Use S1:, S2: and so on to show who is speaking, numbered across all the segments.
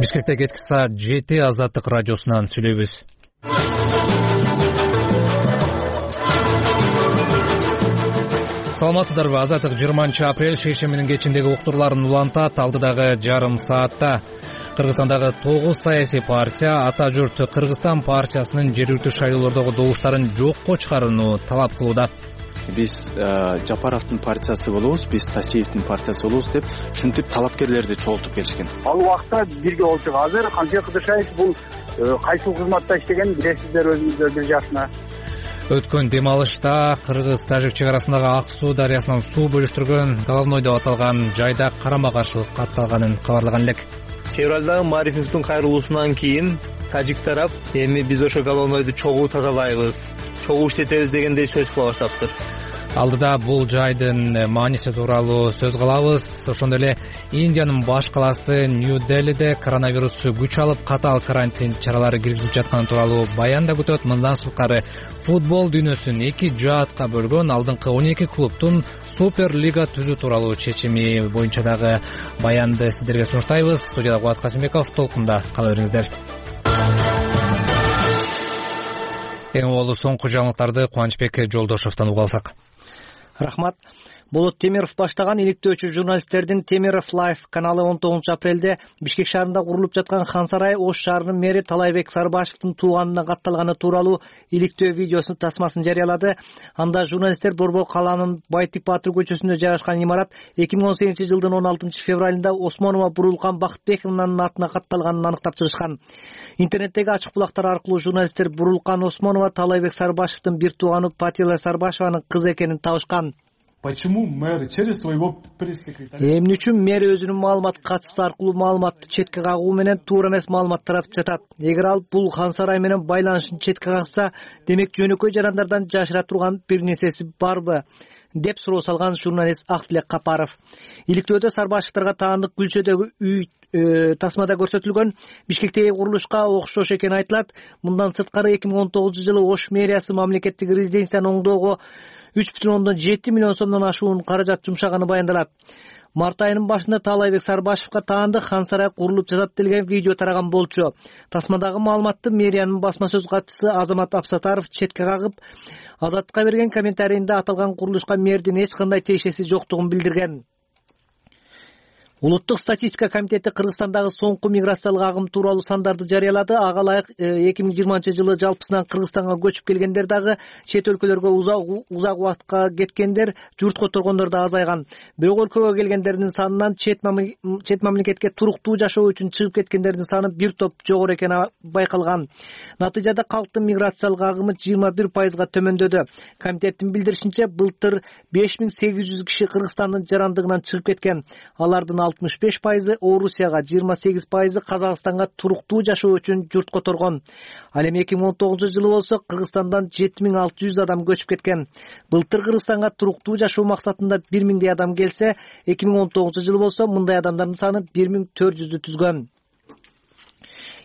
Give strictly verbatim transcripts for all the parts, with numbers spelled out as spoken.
S1: Бишкекте кечки саат жети Азаттык радиосунан сүйлөйбүз. Саламатсыздарбы? Азаттык жыйырманчы апрель шейшембинин кечиндеги уктурларын улантат. Алдыдагы жарым саатта Кыргызстандагы тогуз саясий партия Ата журт Кыргызстан партиясынын жергиликтүү шайлоолордогу добуштарын жокко чыгарууну талап кылууда.
S2: Биз Жапаровдун партиясы болобуз, биз Тасиевдин партиясы болобуз деп ушинтип талапкерлерди чогултуп келишкен.
S3: Ал убакта бирге болчу. Азыр Канжы Кыдыршаев бул кайсыл кызматта иштеген билесиздер өзүңүздөр бир жашына.
S1: Өткөн дем алышта Кыргыз-Тажик чек арасындагы Ак суу дарыясынан суу бөлүштүргөн Головной деп аталган жайда карама-каршылык катталганын кабарлаган элек.
S4: Февралдагы Марифовдун кайрылуусунан кийин Тажик тарап эми биз ошо Головнойду чогуу тазалайбыз, чогуу иштетебиз дегендей сөз кыла баштаптыр.
S1: Алдыда бул жайдын мааниси тууралуу сөз кылабыз. Ошондой эле Индиянын баш калаасы Нью-Делиде коронавирус күч алып катаал карантин чаралары киргизилип жатканы тууралуу баян да күтөт. Мындан сырткары футбол дүйнөсүн эки жаатка бөлгөн алдыңкы он эки клубтун супер лига түзүү тууралуу чечими боюнча дагы баянды сиздерге сунуштайбыз. Студияда Кубат Касымбеков, толкунда кала бериңиздер. Эң болуу соңку жаңылыктарды Кубанычбек Жолдошовдон уга алсак.
S5: Рахмат. Болот Темиров баштаган иликтөөчү журналисттердин Темиров Лайф каналы он тогузунчу апрелде Бишкек шаарында курулуп жаткан Хан Сарай Ош шаарынын мэри Талайбек Сарбашевдин тууганына катталганы тууралуу иликтөө видеосунун тасмасын жарыялады. Анда журналисттер Борбор калаанын Байтик Баатыр көчөсүндө жайгашкан имарат эки миң он сегизинчи жылдын он алтынчы февралында Осмонова Бурулкан Бакытбековнун атына катталганын аныктап чыгышкан. Интернеттеги ачык булактар аркылуу журналисттер Бурулкан Осмонова Талайбек Сарбашевдин бир тууганы Патила Сарбашеванын кызы экенин табышкан.
S6: Почему мэр через своего пресс-секретаря?
S5: Эмне үчүн мэр өзүнүн маалымат катчысы аркылуу маалыматты четке кагуу менен туура эмес маалымат таратып жатат? Эгер ал бул Хан Сарай менен байланышын четке кагса, демек жөнөкөй жарандардан жашыра турган бир нерсеси барбы? Деп суроо салган журналист Актилек Капаров. Иликтөөдө Сарбашевдарга таандык Гүлчөдөгү үй тасмада көрсөтүлгөн. Бишкектеги курулушка окшош экени айтылат. Мындан сырткары эки миң он тогузунчу жылы Ош мэриясы мамлекеттик резиденцияны оңдоого үч бүтүн ондон жети миллион сомдон ашуун каражат жумшаганы баяндалат. Март айынын башында Талайбек Сарбашевга таандык Хан Сарай курулуп жатат делген видео тараган болчу. Тасмадагы маалыматты мэриянын басма сөз катчысы Азамат Абсатаров четке кагып, Азаттыкка берген комментарийинде аталган курулушка мэрдин эч кандай тиешеси жоктугун билдирген. Улуттук статистика комитети Кыргызстандагы соңку миграциялык агым тууралуу сандарды жарыялады. Ага ылайык эки миң жыйырманчы жылы жалпысынан Кыргызстанга көчүп келгендер дагы, чет өлкөлөргө узак узак убакытка кеткендер, журт которгондор да азайган. Бирок өлкөгө келгендердин санынан чет чет мамлекетке туруктуу жашоо үчүн чыгып кеткендердин саны бир топ жогору экени байкалган. Натыйжада калктын миграциялык агымы жыйырма бир пайызга төмөндөдү. Комитеттин билдиришинче, былтыр беш миң сегиз жүз киши Кыргызстандын жарандыгынан чыгып кеткен. Алардын алтымыш беш пайызы Орусияга, жыйырма сегиз пайызы Казакстанга туруктуу жашоо үчүн журт которгон. Ал эми эки миң он тогузунчу жылы болсо Кыргызстандан жети миң алты жүз адам көчүп кеткен. Былтыр Кыргызстанга туруктуу жашоо максатында бир миңдей адам келсе, эки миң он тогузунчу жылы болсо мындай адамдардын саны бир миң төрт жүздү түзгөн.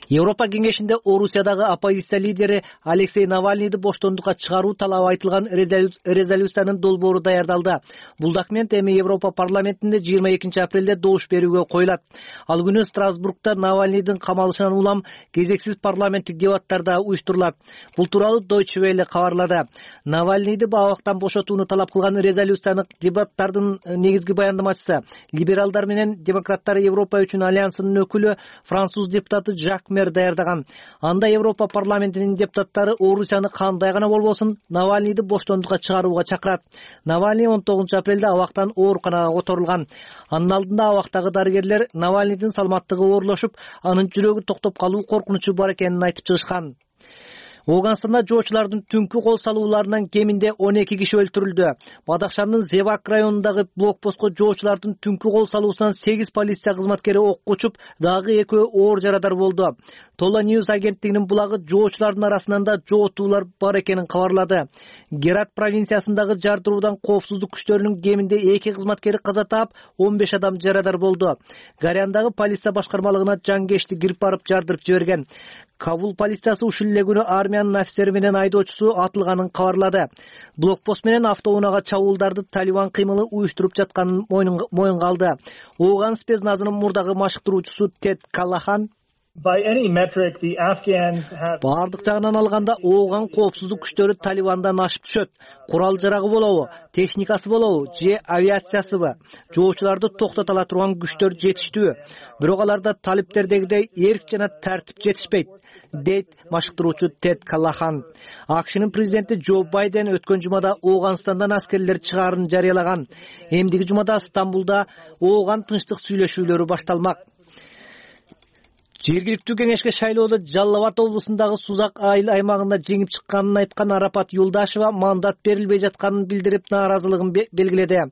S5: Европа кеңешинде Орусиядагы оппозиция лидери Алексей Навальныйды боштондукка чыгаруу талабы айтылган резолюциянын долбоору даярдалды. Бул документ эми Европа парламентинде жыйырма экинчи апрелде добуш берүүгө коюлат. Ал күнү Страсбургда Навальныйдын камалышынан улам кезексиз парламенттик дебаттарда уюштурулат. Бул тууралуу Deutsche Welle кабарлады. Навальныйды абактан бошотууну талап кылган резолюциянын дебаттардын негизги баяндамачысы либералдар менен демократтар Европа үчүн альянсынын өкүлү француз депутаты Жак даярдаган. Анда Европа парламентинин депутаттары Орусияны кандай гана болбосун Навальныйды боштондукка чыгарууга чакырат. Навальный он тогузунчу апрелде абактан ооруканага которулган. Анын алдында абактагы дарыгерлер Навальныйдын саламаттыгы оорлошуп, анын жүрөгү токтоп калуу коркунучу бар экенин айтып чыгышкан. Оганстанда жоочулардын түнкү кол салууларынан кеминде он эки киши өлтүрүлдү. Бадахшандын Зевак районундагы блокпостко жоочулардын түнкү кол салуусунан сегиз полиция кызматкери окко учуп, дагы экөө оор жарадар болду. Тола News агенттигинин булагы жоочулардын арасынан да жоотуулар бар экенин кабарлады. Герат провинциясындагы жардыруудан коопсуздук күчтөрүнүн кеминде эки кызматкери каза таап, он беш адам жарадар болду. Гаряндагы полиция башкармалыгына жангешти кирип барып жардырып жиберген. Кабул полициясы ушул эле күнү армиянын офицери менен айдоочусу атылганын кабарлады. Блокпост менен автоунаага чабуулдарды Талибан кыймылы уюштуруп жатканын моюнга алды. Ооган спецназынын мурдагы машыктыруучусу Тед Каллахан баардык жагынан алганда Ооган коопсуздук күчтөрү Талибандан ашып түшөт. Курал жарагы болобу, техникасы болобу же авиациясыбы? Жоочуларды токтото ала турган күчтөр жетиштүү. Бирок аларда талиптердегидей эрк жана тартип жетишпейт, дейт машыктыруучу Тед Каллахан. АКШнын президенти Джо Байден өткөн жумада Ооганстандан аскерлер чыгаарын жарыялаган. Эмдиги жумада Стамбулда Ооган тынчтык сүйлөшүүлөрү башталмак. Жергиликтүү кеңешке шайлоодо Жалал Абад облусундагы Сузак айыл аймагында жеңип чыкканын айткан Арапат Юлдашева мандат берилбей жатканын билдирип, нааразылыгын белгиледи.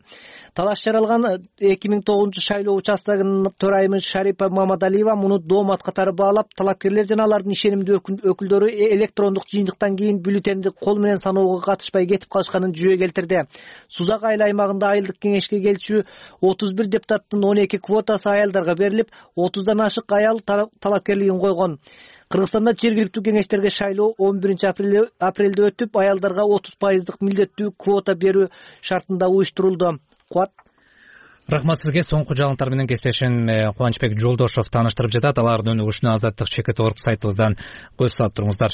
S5: Талаш жаралган эки миң тогузунчу шайлоо участогунун төрайымы Шарипа Мамадалиева муну доомат катары баалап, талапкерлер жана алардын ишенимдүү өкүлдөрү электрондук жыйынтыктан кийин бюллетенди кол менен саноого катышпай кетип калышканын жүйө келтирди. Сузак айыл аймагында айылдык кеңешке келчү отуз бир депутаттын он эки квотасы аялдарга берилип, отуздан ашык аял талапкерлигин койгон. Кыргызстанда жергиликтүү кеңештерге шайлоо он биринчи апрелде өтүп, аялдарга отуз пайыздык милдеттүү квота берүү шартында уюштурулду. Куат.
S1: Рахмат сизге. Соңку жаңылыктар менен кесиптешим Кубанычбек Жолдошов тааныштырып жатат. Алардын өнүгүшүнө Азаттык чекит орг сайтыбыздан көз салып туруңуздар.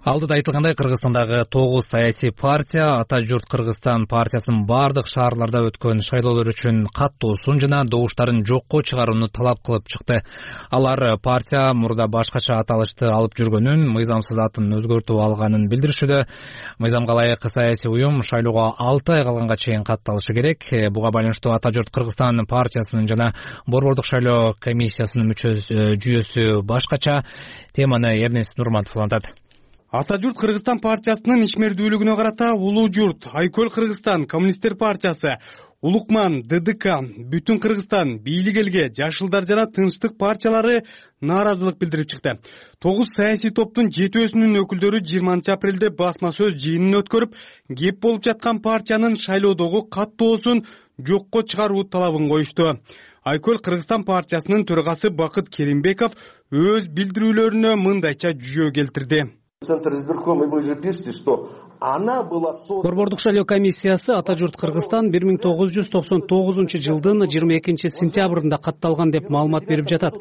S1: Алдыда айтылгандай, Кыргызстандагы тогуз саясий партия Ата журт Кыргызстан партиясынын бардык шаарларда өткөн шайлоолор үчүн каттоосун жана добуштарын жокко чыгарууну талап кылып чыкты. Алар партия мурда башкача аталышты алып жүргөнүн, мыйзамсыз атын өзгөртүп алганын билдиришүүдө. Мыйзамга ылайык саясий уюм шайлоого алты ай калганга чейин катталышы керек. Буга байланыштуу Ата журт Кыргызстан партиясынын жана Борбордук шайлоо комиссиясынын жүйөсү башкача. Теманы Эрнест Нурматов улантат.
S7: Ата журт Кыргызстан партиясынын ишмердүүлүгүнө карата Улуу журт, Айкөл Кыргызстан, Коммунисттер партиясы, Улукман, ДДК, Бүтүн Кыргызстан, Бийлик элге, Жашылдар жана Тынчтык партиялары нааразылык билдирип чыкты. Тогуз саясий топтун жетөөсүнүн өкүлдөрү жыйырманчы апрелде басма сөз жыйынын өткөрүп, кеп болуп жаткан партиянын шайлоодогу каттоосун жокко чыгаруу талабын коюшту. Айкөл Кыргызстан партиясынын төрагасы Бакыт Керимбеков өз билдирүүлөрүнө мындайча жүйө келтирди.
S8: Центр избиркома, вы же пишете, что она была создана.
S9: Борбордук шайлоо комиссиясы Ата журт Кыргызстан бир миң тогуз жүз токсон тогузунчу жылдын жыйырма экинчи сентябрында катталган деп маалымат берип жатат.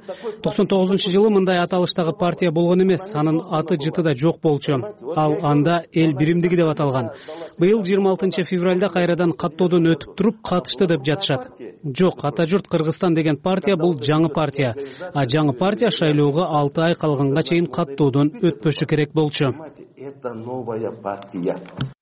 S9: токсон тогузунчу жылы мындай аталыштагы партия болгон эмес, анын аты жыты да жок болчу. Ал анда эл биримдиги деп аталган. Быйыл жыйырма алтынчы февралда кайрадан каттоодон өтүп туруп катышты деп жатышат. Жок, Ата журт Кыргызстан деген партия бул жаңы партия. А жаңы партия шайлоого алты ай калганга чейин каттоодон өтпөшү керек болчу.
S8: Это новая партия.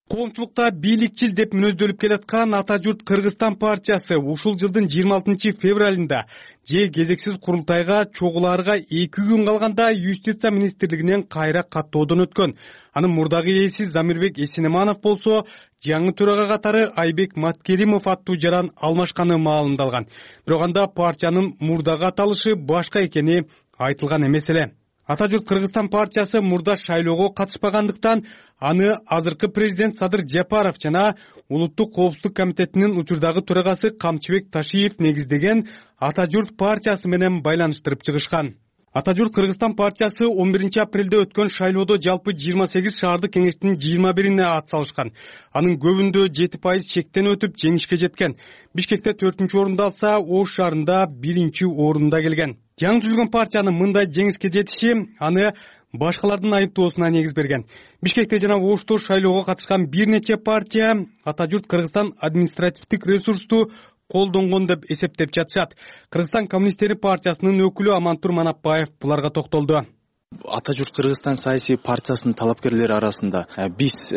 S7: Коомчулукта бийликчил деп мүнөздөлүп келаткан Ата журт Кыргызстан партиясы ушул жылдын жыйырма алтынчы февралында же кезексиз курултайга чогулаарга эки күн калганда Юстиция министрлигинен кайра каттоодон өткөн. Анын мурдагы ээси Замирбек Эсенеманов болсо жаңы төрага катары Айбек Маткеримов аттуу жаран алмашканы маалымдалган. Бирок анда партиянын мурдагы аталышы башка экени айтылган эмес эле. Ата журт Кыргызстан партиясы мурда шайлоого катышпагандыктан аны азыркы президент Садыр Жапаров жана Улуттук коопсуздук комитетинин учурдагы төрагасы Камчыбек Ташиев негиздеген Ата журт партиясы менен байланыштырып чыгышкан. Ата журт Кыргызстан партиясы он биринчи апрелде өткөн шайлоодо жалпы жыйырма сегиз шаардык кеңештин жыйырма бирине ат салышкан. Анын көбүндө жети пайыз чектен өтүп жеңишке жеткен. Бишкекте төртүнчү орунду алса, Ош шаарында биринчи орунда келген. Жаңы түзүлгөн партиянын мындай жеңишке жетиши аны башкалардын айыптоосуна негиз берген. Бишкекте жана Ошто шайлоого катышкан бир нече партия Ата журт Кыргызстан административдик ресурсту колдонгон деп эсептеп жатышат. Кыргызстан коммунисттери партиясынын өкүлү Амантур Манапбаев буларга токтолду.
S2: Ата журт Кыргызстан саясий партиясынын талапкерлери арасында биз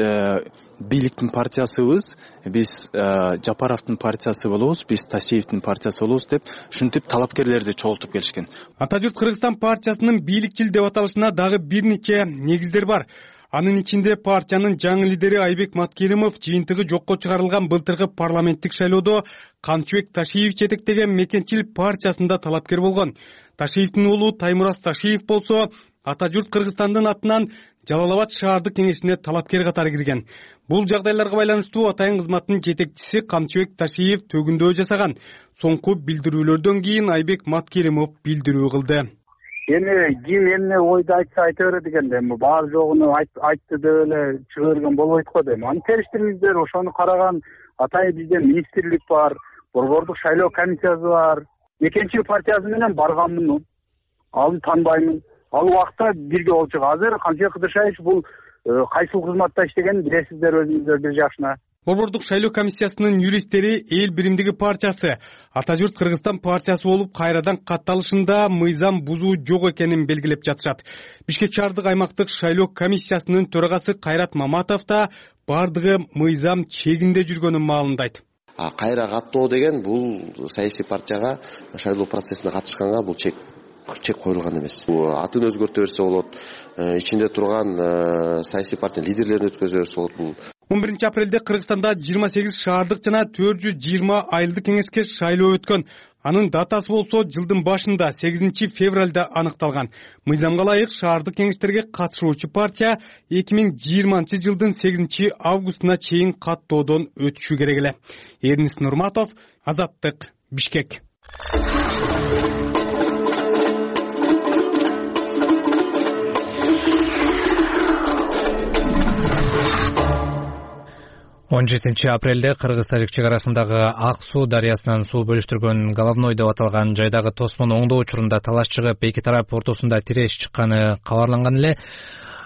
S2: бийликтин партиясыбыз, биз Жапаровдун партиясы болобуз, биз Ташиевдин партиясы болобуз деп ушинтип талапкерлерди чогултуп келишкен.
S7: Ата журт Кыргызстан партиясынын бийликчил деп аталышына дагы бир нече негиздер бар. Анын ичинде партиянын жаңы лидери Айбек Маткеримов жыйынтыгы жокко чыгарылган былтыркы парламенттик шайлоодо Канчыбек Ташиев жетектеген Мекенчил партиясында талапкер болгон. Ташиевдин уулу Таймураз Ташиев болсо ата журт Кыргызстандын атынан Жалал Абад шаардык кеңешине талапкер катары кирген. Бул жагдайларга байланыштуу атайын кызматтын жетекчиси Канчыбек Ташиев төгүндөө жасаган. Соңку билдирүүлөрдөн кийин Айбек Маткеримов билдирүү кылды.
S3: Эми ким эмне ойду айтса айта берет экен да, эми бар жогуну айтты деп эле чыга берген болбойт го дейм. Аны териштириңиздер, ошону караган атайын бизде министрлик бар, борбордук шайлоо комиссиясы бар. Мекенчил партиясы менен барганмын, аны таанбаймын. Ал убакта бирге болчук. Азыр Канчыбек Кыдыршаевич бул кайсыл кызматта иштегенин билесиздер өзүңүздөр бир жакшына.
S7: Борбордук шайлоо комиссиясынын юристтери Эл биримдиги партиясы Ата журт Кыргызстан партиясы болуп кайрадан катталышында мыйзам бузуу жок экенин белгилеп жатышат. Бишкек шаардык аймактык шайлоо комиссиясынын төрагасы Кайрат Маматов да бардыгы мыйзам чегинде жүргөнүн маалымдайт.
S10: Кайра каттоо деген бул саясий партияга шайлоо процессине катышканга бул чек чек коюлган эмес. Атын өзгөртө берсе болот, ичинде турган саясий партиянын лидерлерин өткөзө берсе болот.
S7: он биринчи апрелде Кыргызстанда жыйырма сегиз шаардык жана төрт жүз жыйырма айылдык кеңешке шайлоо өткөн. Анын датасы болсо жылдын башында сегизинчи февралда аныкталган. Мыйзамга ылайык шаардык кеңештерге катышуучу партия эки миң жыйырманчы жылдын сегизинчи августуна чейин каттоодон өтүшү керек эле. Эрнис Нурматов, Азаттык, Бишкек.
S1: он жетинчи апрелде кыргыз-тажик чек арасындагы Ак суу дарыясынан суу бөлүштүргөн Головной деп аталган жайдагы тосмону оңдоо учурунда талаш чыгып, эки тарап ортосунда тиреш чыкканы кабарланган эле.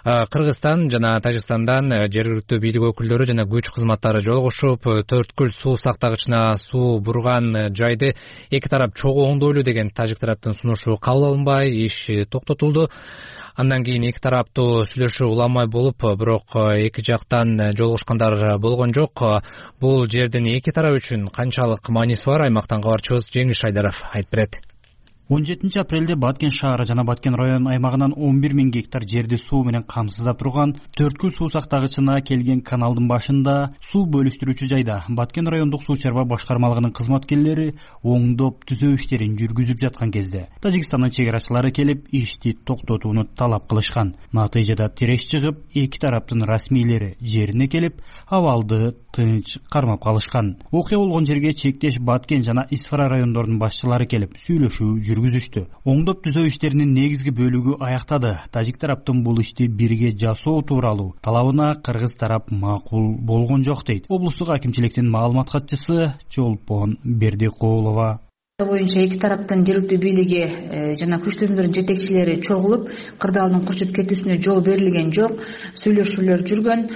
S1: Кыргызстан жана Тажикстандан жергиликтүү бийлик өкүлдөрү жана күч кызматтары жолугушуп, Төрткүл суу сактагычына суу бурган жайды эки тарап чогуу оңдойлу деген тажик тараптын сунушу кабыл алынбай, иш токтотулду. Андан кийин эки тараптуу сүйлөшүү уламай болуп, бирок эки жактан жолугушкандар болгон жок. Бул жердин эки тарап үчүн канчалык мааниси бар, аймактан кабарчыбыз Жеңиш Айдаров айтып берет.
S11: он жетинчи апрелде Баткен шаары жана Баткен район аймагынан он бир миң гектар жерди суу менен камсыздап турган Төрткүл суу сактагычына келген каналдын башында суу бөлүштүрүүчү жайда Баткен райондук суу чарба башкармалыгынын кызматкерлери оңдоп түзөө иштерин жүргүзүп жаткан кезде Тажикстандын чек арачылары келип ишти токтотууну талап кылышкан. Натыйжада тиреш чыгып, эки тараптын расмийлери жерине келип, абалды тынч кармап калышкан. Окуя болгон жерге чектеш Баткен жана Исфара райондорунун башчылары келип сүйлөшүү жүргүзүштү. Оңдоп түзөө иштеринин негизги бөлүгү аяктады. Тажик тараптын бул ишти бирге жасоо тууралуу талабына кыргыз тарап макул болгон жок дейт облустук акимчиликтин маалымат катчысы Чолпон Бердикулова.
S12: Боюнча эки тараптын жергиликтүү бийлиги жана күч түзүмдөрүнүн жетекчилери чогулуп, кырдаалдын курчуп кетүүсүнө жол берилген жок, сүйлөшүүлөр жүргөн.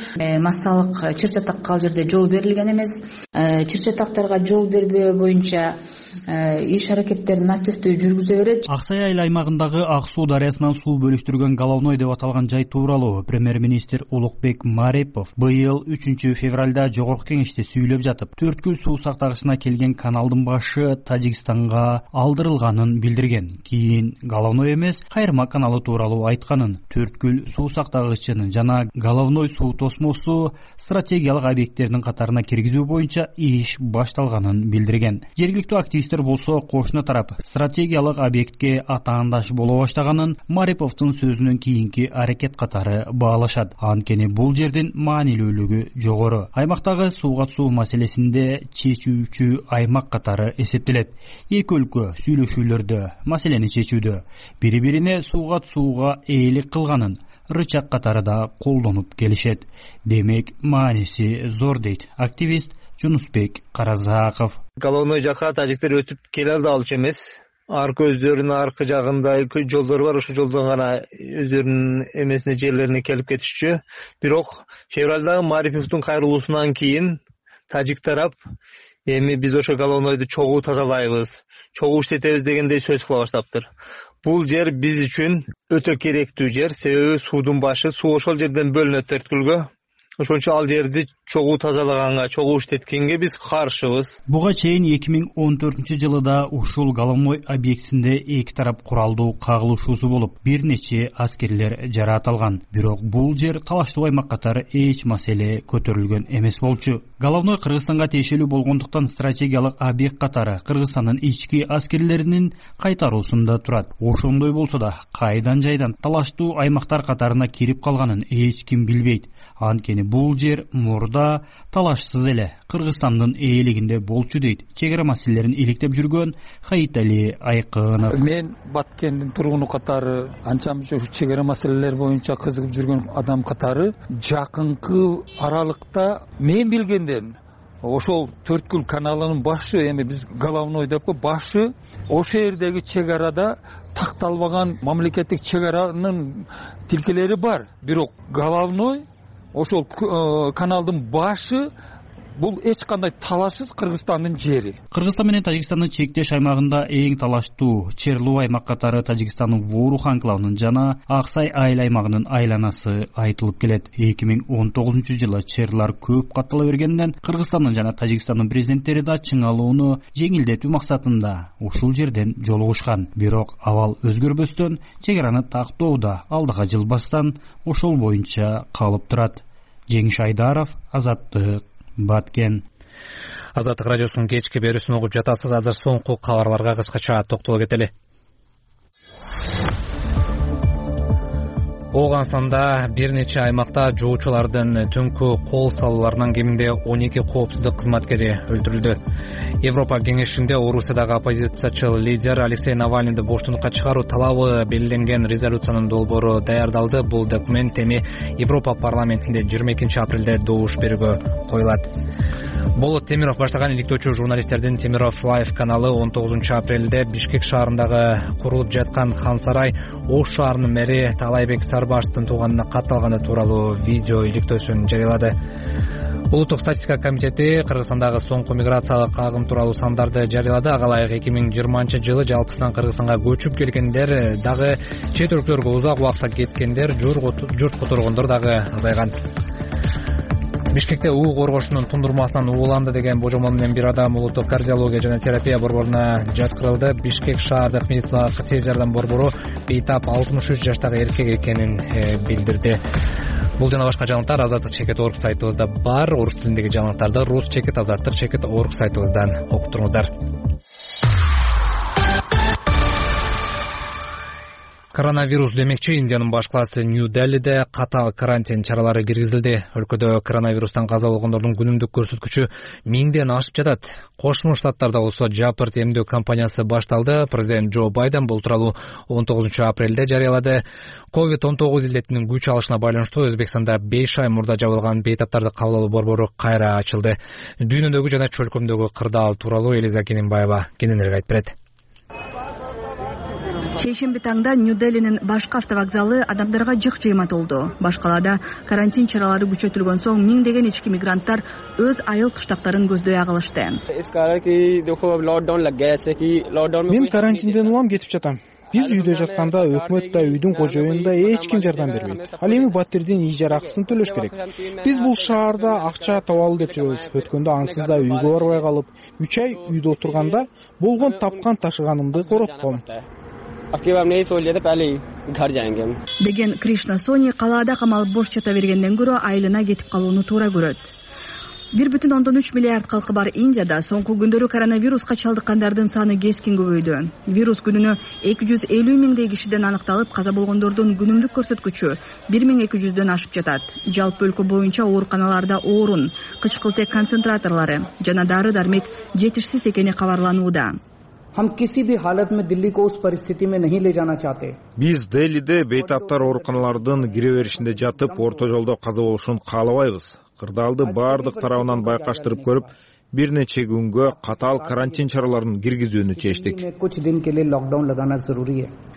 S12: Массалык чыр чатакка ал жерде жол берилген эмес. Чыр чатактарга жол бербөө боюнча иш аракеттерин активдүү жүргүзө берет.
S11: Ак Сай айыл аймагындагы Ак суу дарыясынан суу бөлүштүргөн Головной деп аталган жай тууралуу премьер-министр Улукбек Марипов быйыл үчүнчү февралда жогорку кеңеште сүйлөп жатып, Төрткүл суу сактагычына келген каналдын башы Тажикстанга алдырылганын билдирген. Кийин Головной эмес, Кайырма каналы тууралуу айтканын, Төрткүл суу сактагычынын жана Головной суу тосмосу стратегиялык объекттердин катарына киргизүү боюнча иш башталганын билдирген. Жергиликтүү активисттер болсо кошуна тарап стратегиялык объектке атаандаш боло баштаганын Мариповдун сөзүнөн кийинки аракет катары баалашат. Анткени бул жердин маанилүүлүгү жогору. Аймактагы сууга суу маселесинде чечүүчү аймак катары эсептелет. Эки өлкө сүйлөшүүлөрдө маселени чечүүдө бири-бирине сууга сууга ээлик кылганын рычаг катары да колдонуп келишет. Демек, мааниси зор дейт активист Жунусбек Каразаков.
S4: Головной жака тажиктер өтүп келе алчу эмес. Аркы өздөрүнүн аркы жагында жолдор бар, ошол жолдон гана өздөрүнүн эмесине жерлерине келип кетишчү. Бирок февралдагы Мариповдун кайрылуусунан кийин тажик тарап эми биз ошо Головнойду чогуу тазалайбыз, чогуу иштетебиз дегендей сөз кыла баштаптыр. Бул жер биз үчүн өтө керектүү жер, себеби суудун башы, суу ошол жерден бөлүнөт Төрткүлгө. ошон үчүн ал жерди чогуу тазалаганга, чогуу иштеткенге биз каршыбыз.
S11: Буга чейин эки миң он төртүнчү жылы да ушул головной объектисинде эки тарап куралдуу кагылышуусу болуп, бир нече аскерлер жараат алган. Бирок бул жер талаштуу аймак катары эч маселе көтөрүлгөн эмес болчу. Головной Кыргызстанга тиешелүү болгондуктан стратегиялык объект катары Кыргызстандын ички аскерлеринин кайтаруусунда турат. Ошондой болсо да кайдан жайдан талаштуу аймактар катарына кирип калганын эч ким билбейт. Анткени бул жер мурда талашсыз эле Кыргызстандын ээлигинде болчу дейт чек ара маселелерин иликтеп жүргөн Хаитали Айкынов.
S13: Мен Баткендин тургуну катары анча мынча чек ара маселелер боюнча кызыгып жүргөн адам катары жакынкы аралыкта мен билгенден ошол Төрткүл каналынын башы, эми биз головной деп башы, ошол жердеги чек арада такталбаган мамлекеттик чек аранын тилкелери бар. Бирок головной ошол каналдын башы бул эч кандай талашсыз Кыргызстандын жери.
S11: Кыргызстан менен Тажикстандын чектеш аймагында эң талаштуу Черлу аймак катары Тажикстандын Вурух анклавынын жана Аксай айыл аймагынын айланасы айтылып келет. эки миң он тогузунчу жылы черлар көп каттала бергенден Кыргызстандын жана Тажикстандын президенттери да чыңалууну жеңилдетүү максатында ушул жерден жолугушкан. Бирок абал өзгөрбөстөн чек араны тактоодо алдыга жылбастан ошол боюнча калып турат. Жеңиш Айдаров, Азаттык, Баткен.
S1: Азаттык радиосунун кечки берүүсүн угуп жатасыз. Азыр соңку кабарларга кыскача токтоло кетели. Ооганстанда бир нече аймакта жоочулардын түнкү кол салууларынан кеминде он эки коопсуздук кызматкери өлтүрүлдү. Европа кеңешинде Орусиядагы оппозициячыл лидер Алексей Навальныйды боштондукка чыгаруу талабы белгиленген резолюциянын долбоору даярдалды. Бул документ эми Европа парламентинде жыйырма экинчи апрелде добуш берүүгө коюлат. Болот Темиров баштаган иликтөөчү журналисттердин Темиров Лайв каналы он тогузунчу апрелде Бишкек шаарындагы курулуп жаткан Хан Сарай Ош шаарынын мэри Талайбек Сарбашевдин тууганына катталганы тууралуу видео иликтөөсүн жарыялады. Улуттук статистика комитети Кыргызстандагы соңку миграциялык агым тууралуу сандарды жарыялады. Ага ылайык эки миң жыйырманчы жылы жалпысынан Кыргызстанга көчүп келгендер дагы, чет өлкөлөргө узак убакытка кеткендер, журт которгондор дагы азайган. Бишкекте уу коргошунун тундурмасынан ууланды деген божомол менен бир адам улуттук кардиология жана терапия борборуна жаткырылды. Бишкек шаардык медициналык тез жардам борбору бейтап алтымыш үч жаштагы эркек экенин билдирди. Бул жана башка жаңылыктар Азаттык чекит орг сайтыбызда бар. Орус тилиндеги жаңылыктарды рус чекит азаттык чекит орг сайтыбыздан окуп туруңуздар. Коронавирус демекчи Индиянын баш калаасы Нью-Делиде катаал карантин чаралары киргизилди. Өлкөдө коронавирустан каза болгондордун күнүмдүк көрсөткүчү миңден ашып жатат. Кошмо Штаттарда болсо жапырт эмдөө кампаниясы башталды. Президент Джо Байден бул тууралуу он тогузунчу апрелде жарыялады. ковид он тогуз илдетинин күч алышына байланыштуу Өзбекстанда беш ай мурда жабылган бейтаптарды кабыл алуу борбору кайра ачылды. Дүйнөдөгү жана чөлкөмдөгү кырдаал тууралуу Элиза Кененбаева кененирээк айтып берет.
S14: Шейшемби таңда Нью-Делинин башкы автовокзалы адамдарга жык жыйма толду. Баш калаада карантин чаралары күчөтүлгөн соң миңдеген ички мигранттар өз айыл кыштактарын көздөй агылышты.
S15: Мен карантинден улам кетип жатам. Биз үйдө жатканда өкмөт да, үйдүн кожоюну да эч ким жардам бербейт. Ал эми батирдин ижара акысын төлөш керек. Биз бул шаарда акча табалы деп жүрөбүз. Өткөндө ансыз да үйгө барбай калып, үч ай үйдө отурганда болгон тапкан ташыганымды коротком
S14: деген Кришна Сони калаада камалып бош жата бергенден көрө айылына кетип калууну туура көрөт. бир бүтүн ондон үч миллиард калкы бар Индияда соңку күндөрү коронавируска чалдыккандардын саны кескин көбөйдү. Вирус күнүнө эки жүз элүү миңдей кишиден аныкталып, каза болгондордун күнүмдүк көрсөткүчү бир миң эки жүздөн ашып жатат. Жалпы өлкө боюнча ооруканаларда орун, кычкылтек концентраторлору жана дары-дармек жетишсиз экени кабарланууда.
S16: Биз Делиде бейтаптар ооруканалардын кире беришинде жатып, орто жолдо каза болушун каалабайбыз. Кырдаалды баардык тарабынан байкаштырып көрүп, бир нече күнгө катаал карантин чараларын киргизүүнү чечтик,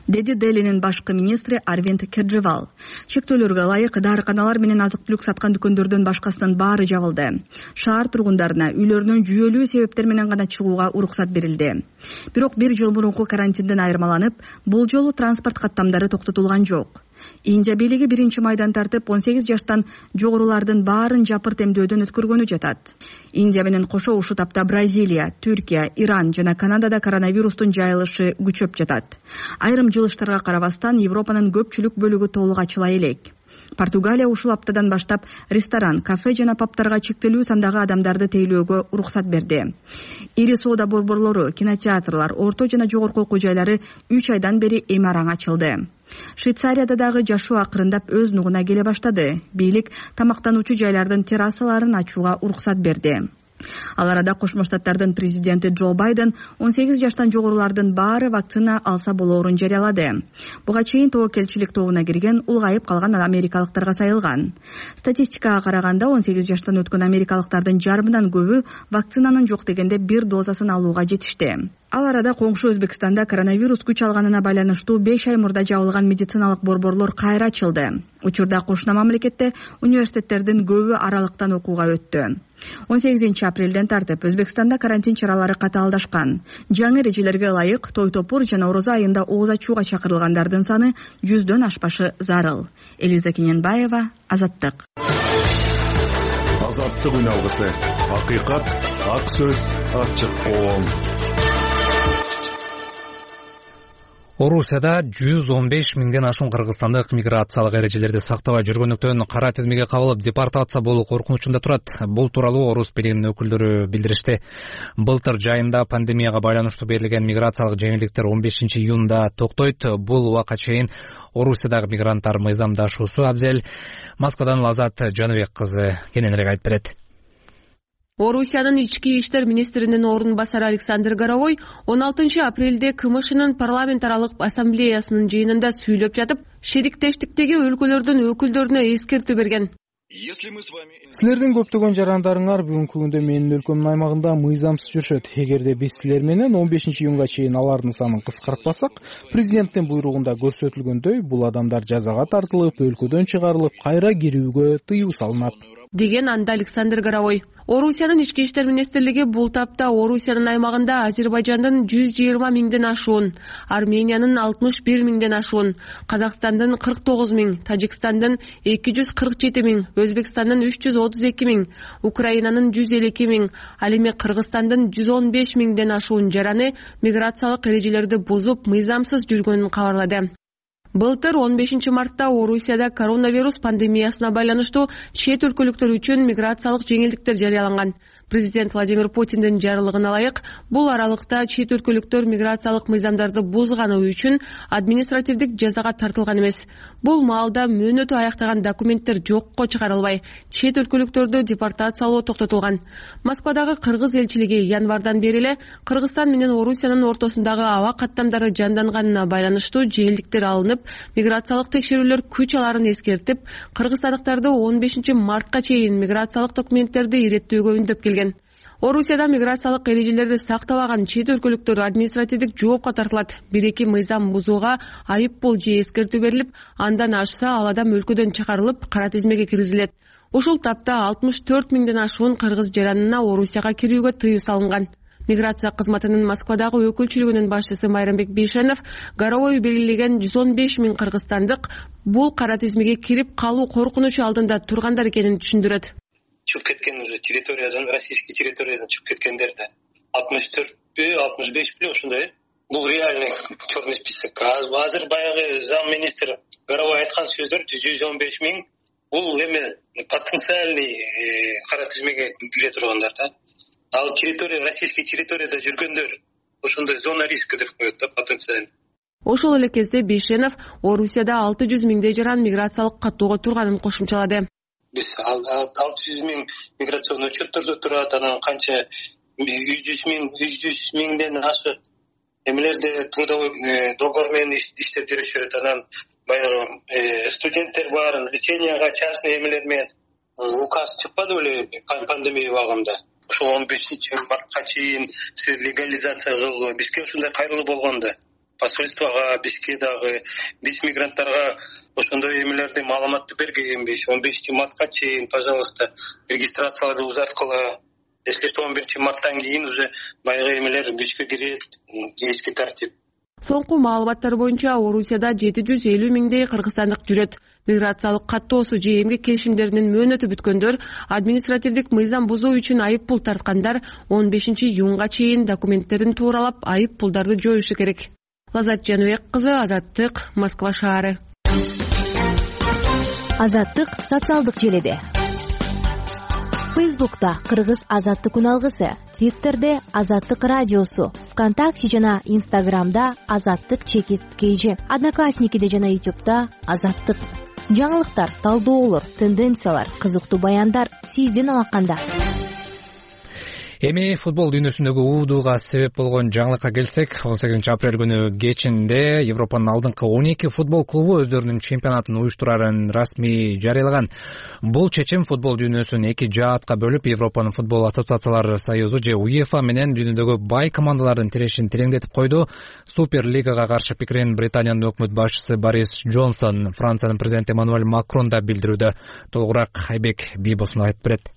S14: деди Делинин башкы министри Арвинд Кеджривал. Чектөөлөргө ылайык дарыканалар менен азык-түлүк саткан дүкөндөрдөн башкасынын баары жабылды. Шаар тургундарына үйлөрүнөн жүйөлүү себептер менен гана чыгууга уруксат берилди. Бирок бир жыл мурунку карантинден айырмаланып, бул жолу транспорт каттамдары токтотулган жок. Индия бийлиги биринчи майдан тартып он сегиз жаштан жогорулардын баарын жапырт эмдөөдөн өткөргөнү жатат. Индия менен кошо ушул тапта Бразилия, Түркия, Иран жана Канадада коронавирустун жайылышы күчөп жатат. Айрым жылыштарга карабастан Европанын көпчүлүк бөлүгү толук ачыла элек. Португалия ушул аптадан баштап ресторан, кафе жана пабтарга чектелүү сандагы адамдарды тейлөөгө уруксат берди. Ири соода борборлору, кинотеатрлар, орто жана жогорку окуу жайлары үч айдан бери эми араң ачылды. Швейцарияда дагы жашоо акырындап өз нугуна келе баштады. Бийлик тамактануучу жайлардын террасаларын ачууга уруксат берди. Ал арада Кошмо Штаттардын президенти Джо Байден он сегиз жаштан жогорулардын баары вакцина алса болоорун жарыялады. Буга чейин тобокелчилик тобуна кирген улгайып калган америкалыктарга сайылган. Статистикага караганда он сегиз жаштан өткөн америкалыктардын жарымынан көбү вакцинанын жок дегенде бир дозасын алууга жетишти. Ал арада коңшу Өзбекстанда коронавирус күч алганына байланыштуу беш ай мурда жабылган медициналык борборлор кайра ачылды. Учурда кошуна мамлекетте университеттердин көбү аралыктан окууга өттү. он сегизинчи апрелден тартып Өзбекстанда карантин чаралары катаалдашкан. Жаңы эрежелерге ылайык той топур жана орозо айында ооз ачууга чакырылгандардын саны жүздөн ашпашы зарыл. Элиза Кененбаева, Азаттык.
S17: Азаттык үн алгысы. Акыйкат, ак сөз, ачык коом.
S1: Орусияда жүз он беш миңден ашуун кыргызстандык миграциялык эрежелерди сактабай жүргөндүктөн кара тизмеге кабылып депортация болуу коркунучунда турат. Бул тууралуу Орус бийлигинин өкүлдөрү билдиришти. Былтыр жайында пандемияга байланыштуу берилген миграциялык жеңилдиктер он бешинчи июнда токтойт. Бул убакка чейин Орусиядагы мигранттар мыйзамдашуусу абзел. Москвадан Лазат Жаныбек кызы кененирээк айтып берет.
S18: Орусиянын ички иштер министринин орун басары Александр Горовой он алтынчы апрелде КМШнын парламент аралык ассамблеясынын жыйынында сүйлөп жатып, шериктештиктеги өлкөлөрдүн өкүлдөрүнө эскертүү берген.
S15: Силердин көптөгөн жарандарыңар бүгүнкү күндө менин өлкөмдүн аймагында мыйзамсыз жүрүшөт. Эгерде биз силер менен он бешинчи июнга чейин алардын санын кыскартпасак, президенттин буйругунда көрсөтүлгөндөй, бул адамдар жазага тартылып, өлкөдөн чыгарылып, кайра кирүүгө тыюу салынат,
S18: деген анда Александр Горовой. Орусиянын ички иштер министрлиги бул тапта Орусиянын аймагында Азербайжандын жүз жыйырма миңден ашуун, Армениянын алтымыш бир миңден ашуун, Казакстандын кырк тогуз миң, Тажикстандын эки жүз кырк жети миң, Өзбекстандын үч жүз отуз эки миң, Украинанын жүз элүү эки миң, ал эми Кыргызстандын жүз он беш миңден ашуун жараны миграциялык эрежелерди бузуп, мыйзамсыз жүргөнүн кабарлады. Былтыр он бешинчи мартта Орусияда коронавирус пандемиясына байланыштуу чет өлкөлүктөр үчүн миграциялык жеңилдиктер жарыяланган. Президент Владимир Путиндин жарлыгына ылайык, бул аралыкта чет өлкөлүктөр миграциялык мыйзамдарды бузганы үчүн административдик жазага тартылган эмес. Бул маалда мөөнөтү аяктаган документтер жокко чыгарылбай, чет өлкөлүктөрдү депортациялоо токтотулган. Москвадагы кыргыз элчилиги январдан бери эле Кыргызстан менен Орусиянын ортосундагы аба каттамдары жанданганына байланыштуу жеңилдиктер алынып, миграциялык текшерүүлөр күч аларын эскертип, кыргызстандыктарды он бешинчи мартка чейин миграциялык документтерди иреттөөгө үндөп келген. Орусияда миграциялык эрежелерди сактабаган чет өлкөлүктөр административдик жоопко тартылат. Бир-эки мыйзам бузууга айып пул же эскертүү берилип, андан ашса ал адам өлкөдөн чыгарылып, кара тизмеге киргизилет. Ушул тапта алтымыш төрт миңден ашуун кыргыз жаранына Орусияга кирүүгө тыюу салынган. Миграция кызматынын Москвадагы өкүлчүлүгүнүн башчысы Майрамбек Бейшенов Горовой белгилеген жүз он беш миң кыргызстандык бул кара тизмеге кирип калуу коркунучу алдында тургандар экенин түшүндүрөт.
S19: Чыгып кеткен уже территориядан, российский территориядан чыгып кеткендер да алтымыш төртпү, алтымыш бешпи ошондой. Бул реальный черный список. Азыр баягы зам министр Горовой айткан сөздөр жүз он беш миң бул эме потенциальный кара тизмеге кире тургандар да. Ал территория, российский территорияда жүргөндөр ошондой зона риска деп коет да, потенциальный.
S18: Ошол эле кезде Бейшенов Орусияда алты жүз миңдей жаран миграциялык каттоого турганын кошумчалады.
S19: Биз алты жүз миң миграционный учеттордо турат, анан канча жүз жүз миң, жүз жүз миңден ашык эмелерде трудовой договор менен иштеп жүрүшөт. Анан баягы студенттер бар, леченияга частный эмелер менен указ чыкпады беле пандемия убагында. Ошол он бешинчи мартка чейин сиз легализация кылгыла. Бизге ушундай кайрылуу болгон да. Посольствого бизге дагы биз мигранттарга ошондой эмелерди маалыматты бергенбиз. он бешинчи мартка чейин, пожалуйста, регистрацияларды узарткыла. Если что, он биринчи марттан кийин уже баягы эмелер күчкө кирет, эски тартип.
S18: Соңку маалыматтар боюнча Орусияда жети жүз элүү миңдей кыргызстандык жүрөт. Миграциялык каттоосу же эмгек келишимдеринин мөөнөтү бүткөндөр, административдик мыйзам бузуу үчүн айып пул тарткандар он бешинчи июнга чейин документтерин тууралап айып пулдарды жоюшу керек. Лазат Жаныбек кызы, Азаттык, Москва шаары.
S20: Азаттык социалдык желеде. Фейсбукта Кыргыз Азаттык үналгысы, Твиттерде Азаттык радиосу, ВКонтакте жана Инстаграмда Азаттык чекит кейжи, Одноклассникиде жана Ютубта Азаттык. Жаңылыктар, талдоолор, тенденциялар, кызыктуу баяндар сиздин алаканда.
S1: Эми футбол дүйнөсүндөгү уудууга себеп болгон жаңылыкка келсек, он сегизинчи апрель күнү кечинде Европанын алдыңкы он эки футбол клубу өздөрүнүн чемпионатын уюштурарын расмий жарыялаган. Бул чечим футбол дүйнөсүн эки жаатка бөлүп, Европанын футбол ассоциациялар союзу же УЕФА менен дүйнөдөгү бай командалардын тирешин тереңдетип койду. Суперлигага каршы пикирин Британиянын өкмөт башчысы Борис Джонсон, Франциянын президенти Эммануэль Макрон да билдирүүдө. Толугураак Айбек Бийбосун айтып берет.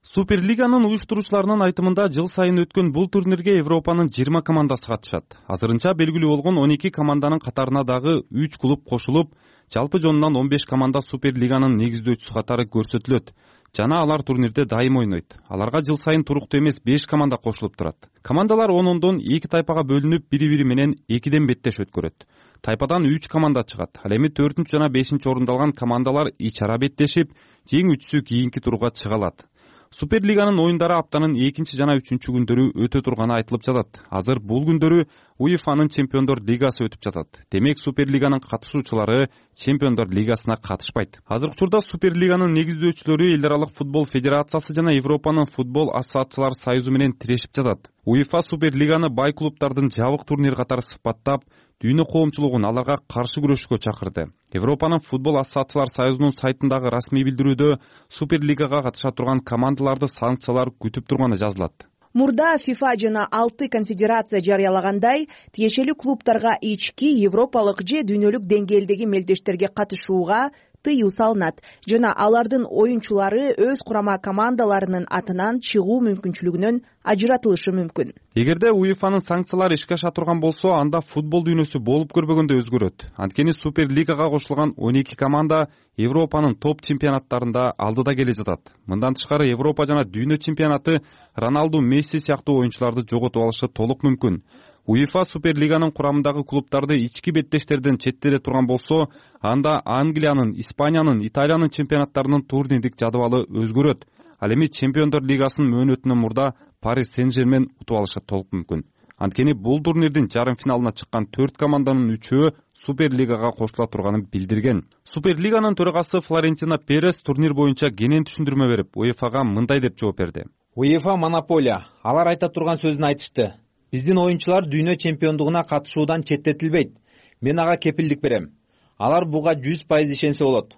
S21: Суперлиганын уюштуруучуларынын айтымында жыл сайын өткөн бул турнирге Европанын жыйырма командасы катышат. Азырынча белгилүү болгон он эки команданын катарына дагы үч клуб кошулуп, жалпы жонунан он беш команда Суперлиганын негиздөөчүсү катары көрсөтүлөт жана алар турнирде дайым ойнойт. Аларга жыл сайын туруктуу эмес беш команда кошулуп турат. Командалар он-ондон эки тайпага бөлүнүп, бири-бири менен экиден беттеш өткөрөт. Тайпадан үч команда чыгат. Ал эми төртүнчү жана бешинчи орунду алган командалар ич ара беттешип, жеңүүчүсү кийинки турга чыга алат. Суперлиганын оюндары аптанын экинчи жана үчүнчү күндөрү өтө турганы айтылып жатат. Азыр бул күндөрү УЕФАнын Чемпиондор лигасы өтүп жатат. Демек Суперлиганын катышуучулары Чемпиондор лигасына катышпайт. Азыркы учурда Суперлиганын негиздөөчүлөрү Эл аралык футбол федерациясы жана Европанын футбол ассоциациялар союзу менен тирешип жатат. УЕФА Суперлиганы бай клубдардын жабык турнир катары сыпаттап, дүйнө коомчулугун аларга каршы күрөшкө чакырды. Европанын футбол ассоциациялар союзунун сайтындагы расмий билдирүүдө Суперлигага катыша турган командаларды санкциялар күтүп турганы жазылат.
S22: Мурда ФИФА жана алты конфедерация жарыялагандай, тиешелүү клубдарга ички европалык же дүйнөлүк деңгээлдеги мелдештерге катышууга тыюу салынат жана алардын оюнчулары өз курама командаларынын атынан чыгуу мүмкүнчүлүгүнөн ажыратылышы мүмкүн.
S21: Эгерде УЕФАнын санкциялары ишке аша турган болсо, анда футбол дүйнөсү болуп көрбөгөндө өзгөрөт. Анткени Суперлигага кошулган он эки команда Европанын топ чемпионаттарында алдыда келе жатат. Мындан тышкары Европа жана дүйнө чемпионаты Роналду, Месси сыяктуу оюнчуларды жоготуп алышы толук мүмкүн. УЕФА Суперлиганын курамындагы клубдарды ички беттештерден четтете турган болсо, анда Англиянын, Испаниянын, Италиянын чемпионаттарынын турнирлик жадыбалы өзгөрөт. Ал эми Чемпиондор лигасынын мөөнөтүнөн мурда Парис Сен-Жермен утуп алышы толук мүмкүн. Анткени бул турнирдин жарым финалына чыккан төрт команданын үчөө Суперлигага кошула турганын билдирген. Суперлиганын төрагасы Флорентино Перес турнир боюнча кенен түшүндүрмө берип, УЕФАга мындай деп жооп берди.
S23: УЕФА монополия. Алар айта турган сөзүн айтышты. Биздин оюнчулар дүйнө чемпиондугуна катышуудан четтетилбейт. Мен ага кепилдик берем. Алар буга жүз пайыз ишенсе болот.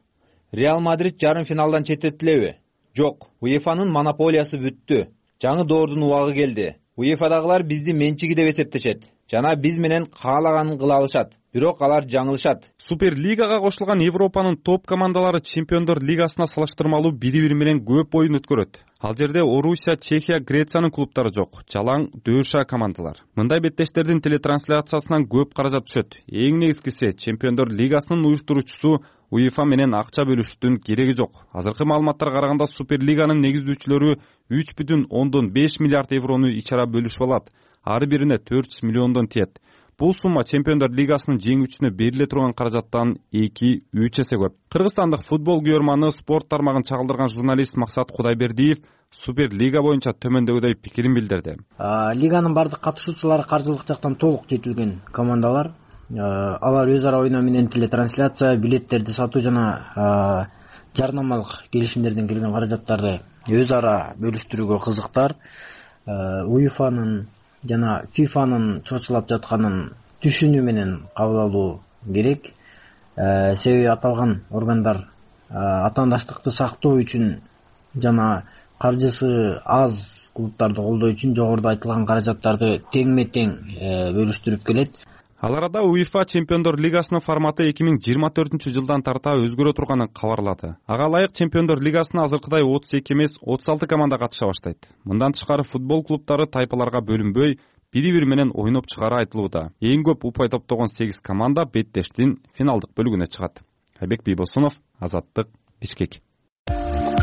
S23: Реал Мадрид жарым финалдан четтетилеби? Жок. УЕФАнын монополиясы бүттү. Жаңы доордун убагы келди. УЕФАдагылар бизди менчиги деп эсептешет жана биз менен каалаганын кыла алышат. Бирок алар жаңылышат.
S21: Суперлигага кошулган Европанын топ командалары Чемпиондор лигасына салыштырмалуу бири-бири менен көп оюн өткөрөт. Ал жерде Орусия, Чехия, Грециянын клубдары жок. Жалаң дөша командалар. Мындай беттештердин телетрансляциясынан көп каражат түшөт. Эң негизгиси, Чемпиондор лигасынын уюштуруучусу УЕФА менен акча бөлүшүштүн кереги жок. Азыркы маалыматтарга караганда Суперлиганын негиздөөчүлөрү үч бүтүн ондон беш миллиард еврону ичара бөлүшүп алат. Ар бирине төрт жүз миллиондон тиет. Бул сумма Чемпиондор лигасынын жеңүүчүсүнө бериле турган каражаттан эки үч эсе көп. Кыргызстандык футбол күйөрманы, спорт тармагын чагылдырган журналист Максат Кудайбердиев Суперлига боюнча төмөндөгүдөй пикирин билдирди.
S24: Лиганын бардык катышуучулары каржылык жактан толук жетилген командалар. Алар өз ара ойноо менен телетрансляция, билеттерди сатуу жана жарнамалык келишимдерден келген каражаттарды өз ара бөлүштүрүүгө кызыктар. УЕФАнын жана ФИФАнын чочулап жатканын түшүнүү менен кабыл алуу керек. Себеби аталган органдар атаандаштыкты сактоо үчүн жана каржысы аз клубдарды колдоо үчүн жогоруда айтылган каражаттарды теңме-тең бөлүштүрүп келет.
S21: Ал арада УЕФА Чемпиондор лигасынын форматы эки миң жыйырма төртүнчү жылдан тарта өзгөрө турганын кабарлады. Ага ылайык Чемпиондор лигасына азыркыдай отуз эки эмес отуз алты команда катыша баштайт. Мындан тышкары футбол клубдары тайпаларга бөлүнбөй, бири бири менен ойноп чыгары айтылууда. Эң көп упай топтогон сегиз команда беттештин финалдык бөлүгүнө чыгат. Айбек Бийбосунов, Азаттык, Бишкек.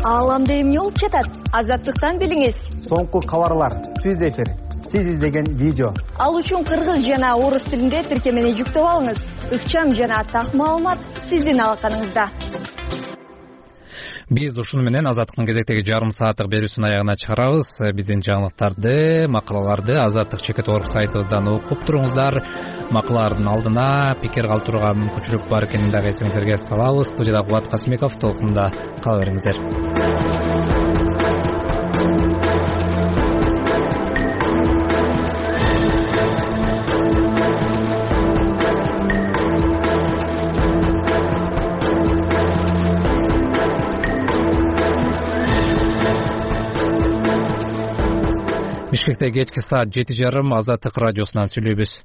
S5: Ааламда эмне болуп жатат? Азаттыктан билиңиз.
S6: Соңку кабарлар, түз эфир, сиз издеген видео.
S5: Ал үчүн кыргыз жана орус тилинде тиркемени жүктөп алыңыз. Ыкчам жана так маалымат сиздин алаканыңызда.
S1: Биз ушуну менен Азаттыктын кезектеги жарым сааттык берүүсүнүн аягына чыгарабыз. Биздин жаңылыктарды, макалаларды Азаттык чекит орг сайтыбыздан окуп туруңуздар. Макалалардын алдына пикир калтырууга мүмкүнчүлүк бар экенин дагы эсиңиздерге салабыз. Студияда Кубат Касымбеков, толкунда кала бериңиздер. Бишкекте кечки саат жети жарым Азаттык радиосунан сүйлөйбүз.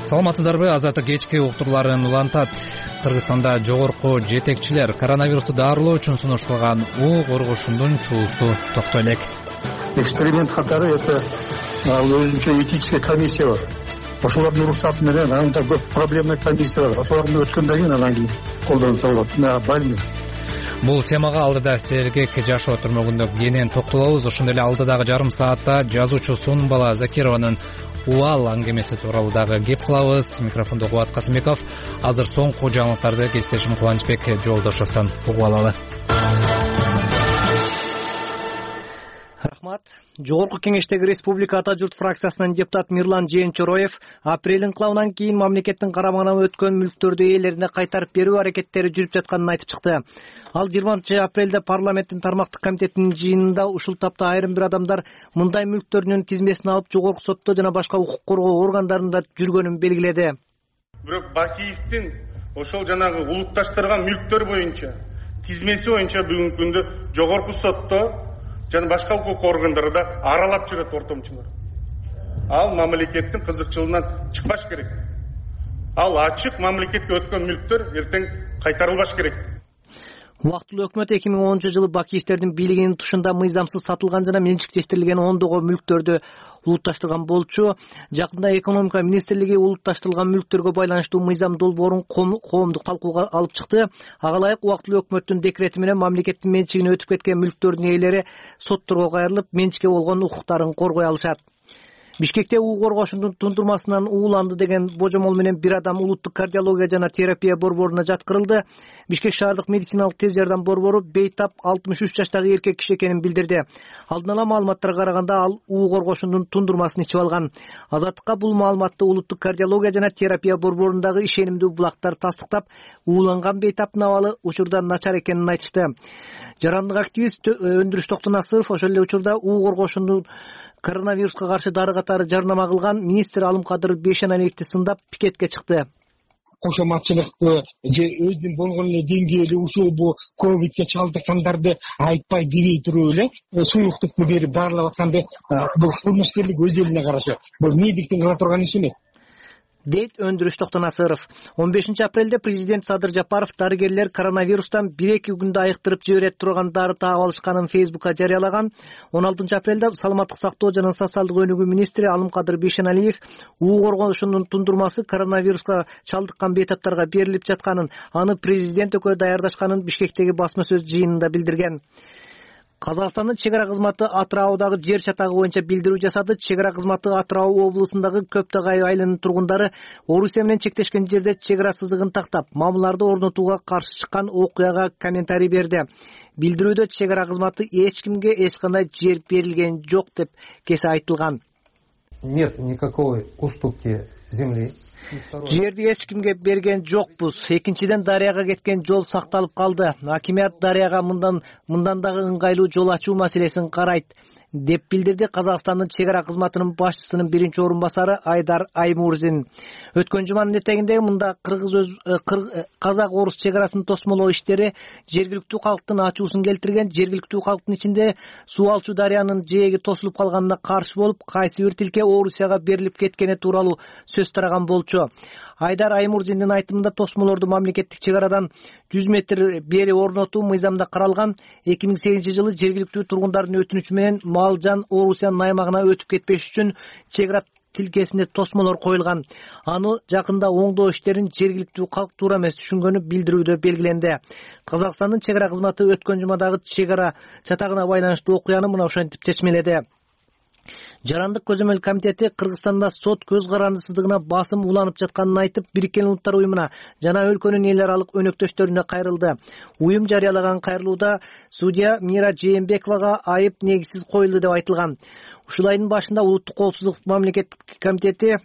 S1: Саламатсыздарбы? Азаттык кечки уктурууларын улантат. Кыргызстанда жогорку жетекчилер коронавирусту дарылоо үчүн сунушталган уу коргошундун чуусу токтой элек.
S8: Эксперимент катары это өзүнчө этическая комиссия бар. Ошолордун уруксаты менен анда көп проблемный комиссия бар. Ошолордун өткөндөн кийин анан кийин колдонуп болот. Больной.
S1: Бул темага алдыда сергек жашоо түрмөгүндө кенен токтолобуз. Ошондой эле алдыдагы жарым саатта жазуучу Сунбала Закированын Уал аңгемеси тууралуу дагы кеп кылабыз. Микрофондо Кубат Касымбеков. Азыр соңку жаңылыктарды кесиптешим Кубанычбек Жолдошовдон угуп алалы.
S6: Рахмат. Жогорку кеңештеги Республика Ата журт фракциясынын депутаты Мирлан Жээнчороев апрель инкылабынан кийин мамлекеттин карамагына өткөн мүлктөрдү ээлерине кайтарып берүү аракеттери жүрүп жатканын айтып чыкты. Ал жыйырманчы апрелде парламенттин тармактык комитетинин жыйынында ушул тапта айрым бир адамдар мындай мүлктөрүнүн тизмесин алып жогорку сотто жана башка укук коргоо органдарында жүргөнүн белгиледи.
S9: Бирок Бакиевдин ошол жанагы улутташтырган мүлктөр боюнча тизмеси боюнча бүгүнкү күндө жогорку сотто жана башка укук органдарда аралап жүрөт ортомчулар. Ал мамлекеттин кызыкчылыгынан чыкпаш керек. Ал ачык мамлекетке өткөн мүлктөр эртең кайтарылбаш керек.
S6: Убактылуу өкмөт эки миң онунчу жылы Бакиевдердин бийлигинин тушунда мыйзамсыз сатылган жана менчиктештирилген ондогон мүлктөрдү улутташтырган болчу. Жакында экономика министрлиги улутташтырылган мүлктөргө байланыштуу мыйзам долбоорун коомдук талкууга алып чыкты. Ага ылайык убактылуу өкмөттүн декрети менен мамлекеттин менчигине өтүп кеткен мүлктөрдүн ээлери сотторго кайрылып, менчикке болгон укуктарын коргой алышат. Бишкекте уу коргошундун тундурмасынан ууланды деген божомол менен бир адам улуттук кардиология жана терапия борборуна жаткырылды. Бишкек шаардык медициналык тез жардам борбору бейтап алтымыш үч жаштагы эркек киши экенин билдирди. Алдын ала маалыматтарга караганда ал уу коргошундун тундурмасын ичип алган. Азаттыкка бул маалыматты улуттук кардиология жана терапия борборундагы ишенимдүү булактар тастыктап, ууланган бейтаптын абалы учурда начар экенин айтышты. Жарандык активист Өндүрүш Токтонасыров ошол эле учурда уу коргошундун коронавируска каршы дары катары жарнама кылган министр Алымкадыр Бейшеналиевди сындап пикетке чыкты.
S25: Кошоматчылыкты же өзүнүн болгон эле деңгээли ушул бу ковидке чалдыккандарды айтпай дирей туруп эле сулуктукту берип дарылап атканды бул кылмышкерлик өз элине карашы. Бул медиктин кыла турган иши эмес.
S6: дейт Өндүрүш Токтонасыров. он бешинчи апрелде президент Садыр Жапаров дарыгерлер коронавирустан бир эки күндө айыктырып жибере турган дары таап алышканын Фейсбукка жарыялаган. он алтынчы апрелде саламаттык сактоо жана социалдык өнүгүү министри Алымкадыр Бейшеналиев уу коргошундун тундурмасы коронавируска чалдыккан бейтаптарга берилип жатканын, аны президент экөө даярдашканын Бишкектеги басма сөз жыйынында билдирген. Казакстандын чек ара кызматы Атыраудагы жер чатагы боюнча билдирүү жасады. Чек ара кызматы Атырау облусундагы Көптөгай айылынын тургундары Орусия менен чектешкен жерде чек ара сызыгын тактап, мамыларды орнотууга каршы чыккан окуяга комментарий берди. Билдирүүдө чек ара кызматы эч кимге эч кандай жер берилген жок деп кесе айтылган.
S26: Нет никакой уступки земли.
S6: Жерди эч кимге берген жокпуз. Экинчиден дарыяга кеткен жол сакталып калды. Акимият дарыяга мындан мындан дагы ыңгайлуу жол ачуу маселесин карайт. деп билдирди Казакстандын чек ара кызматынын башчысынын биринчи орун басары Айдар Аймурзин. Өткөн жуманын этегинде мында кыргыз казак орус чек арасын тосмолоо иштери жергиликтүү калктын ачуусун келтирген. Жергиликтүү калктын ичинде суу алчу дарыянын жээги тосулуп калганына каршы болуп, кайсы бир тилке Орусияга берилип кеткени тууралуу сөз тараган болчу. Айдар Аймурзиндин айтымында тосмолорду мамлекеттик чек арадан жүз метр бери орнотуу мыйзамда каралган. эки миң сегизинчи жылы жергиликтүү тургундардын өтүнүчү менен мал жан Орусиянын аймагына өтүп кетпеш үчүн чек ара тилкесинде тосмолор коюлган. Аны жакында оңдоо иштерин жергиликтүү калк туура эмес түшүнгөнү билдирүүдө белгиленди. Казакстандын чек ара кызматы өткөн жумадагы чек ара чатагына байланыштуу окуяны мына ошентип чечмеледи. Жарандык көзөмөл комитети Кыргызстанда сот көз карандысыздыгына басым уланып жатканын айтып, Бириккен Улуттар уюмуна жана өлкөнүн эл аралык өнөктөштөрүнө кайрылды. Уюм жарыялаган кайрылууда судья Мира Жээнбековага айып негизсиз коюлду деп айтылган. Ушул айдын башында Улуттук коопсуздук мамлекеттик комитети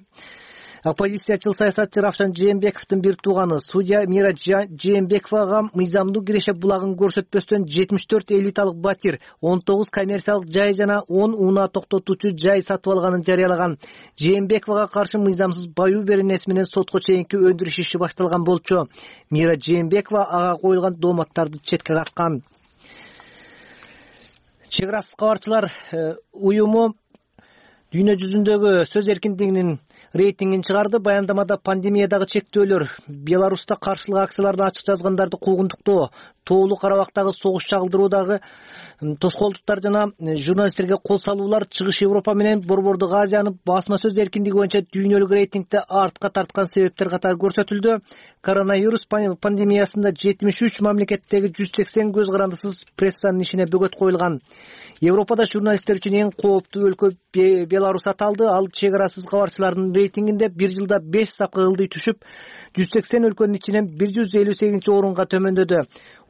S6: оппозициячыл саясатчы Равшан Жээнбековдун бир тууганы судья Мира Жээнбековага мыйзамдуу киреше булагын көрсөтпөстөн жетимиш төрт элиталык батир, он тогуз коммерциялык жай жана он унаа токтотуучу жай сатып алганын жарыялаган. Жээнбековага каршы мыйзамсыз баюу беренеси менен сотко чейинки өндүрүш иши башталган болчу. Мира Жээнбекова ага коюлган дооматтарды четке каккан. Чек арасыз кабарчылар уюму дүйнө жүзүндөгү сөз эркиндигинин рейтингин чыгарды. Баяндамада пандемиядагы чектөөлөр, Беларуста каршылык акцияларына ачык жазгандарды куугунтуктоо, Тоолуу Карабактагы согуш чагылдыруудагы тоскоолдуктар жана журналисттерге кол салуулар Чыгыш Европа менен Борбордук Азияны басма сөз эркиндиги боюнча дүйнөлүк рейтингде артка тарткан себептер катары көрсөтүлдү. Коронавирус пандемиясында жетимиш үч мамлекеттеги жүз сексен көз карандысыз прессанын ишине бөгөт коюлган. Европада журналисттер үчүн эң кооптуу өлкө Беларусь аталды. Ал чек арасыз кабарчылардын рейтингинде бир жылда беш сапка ылдый түшүп, жүз сексен өлкөнүн ичинен бир жүз элүү сегизинчи орунга төмөндөдү.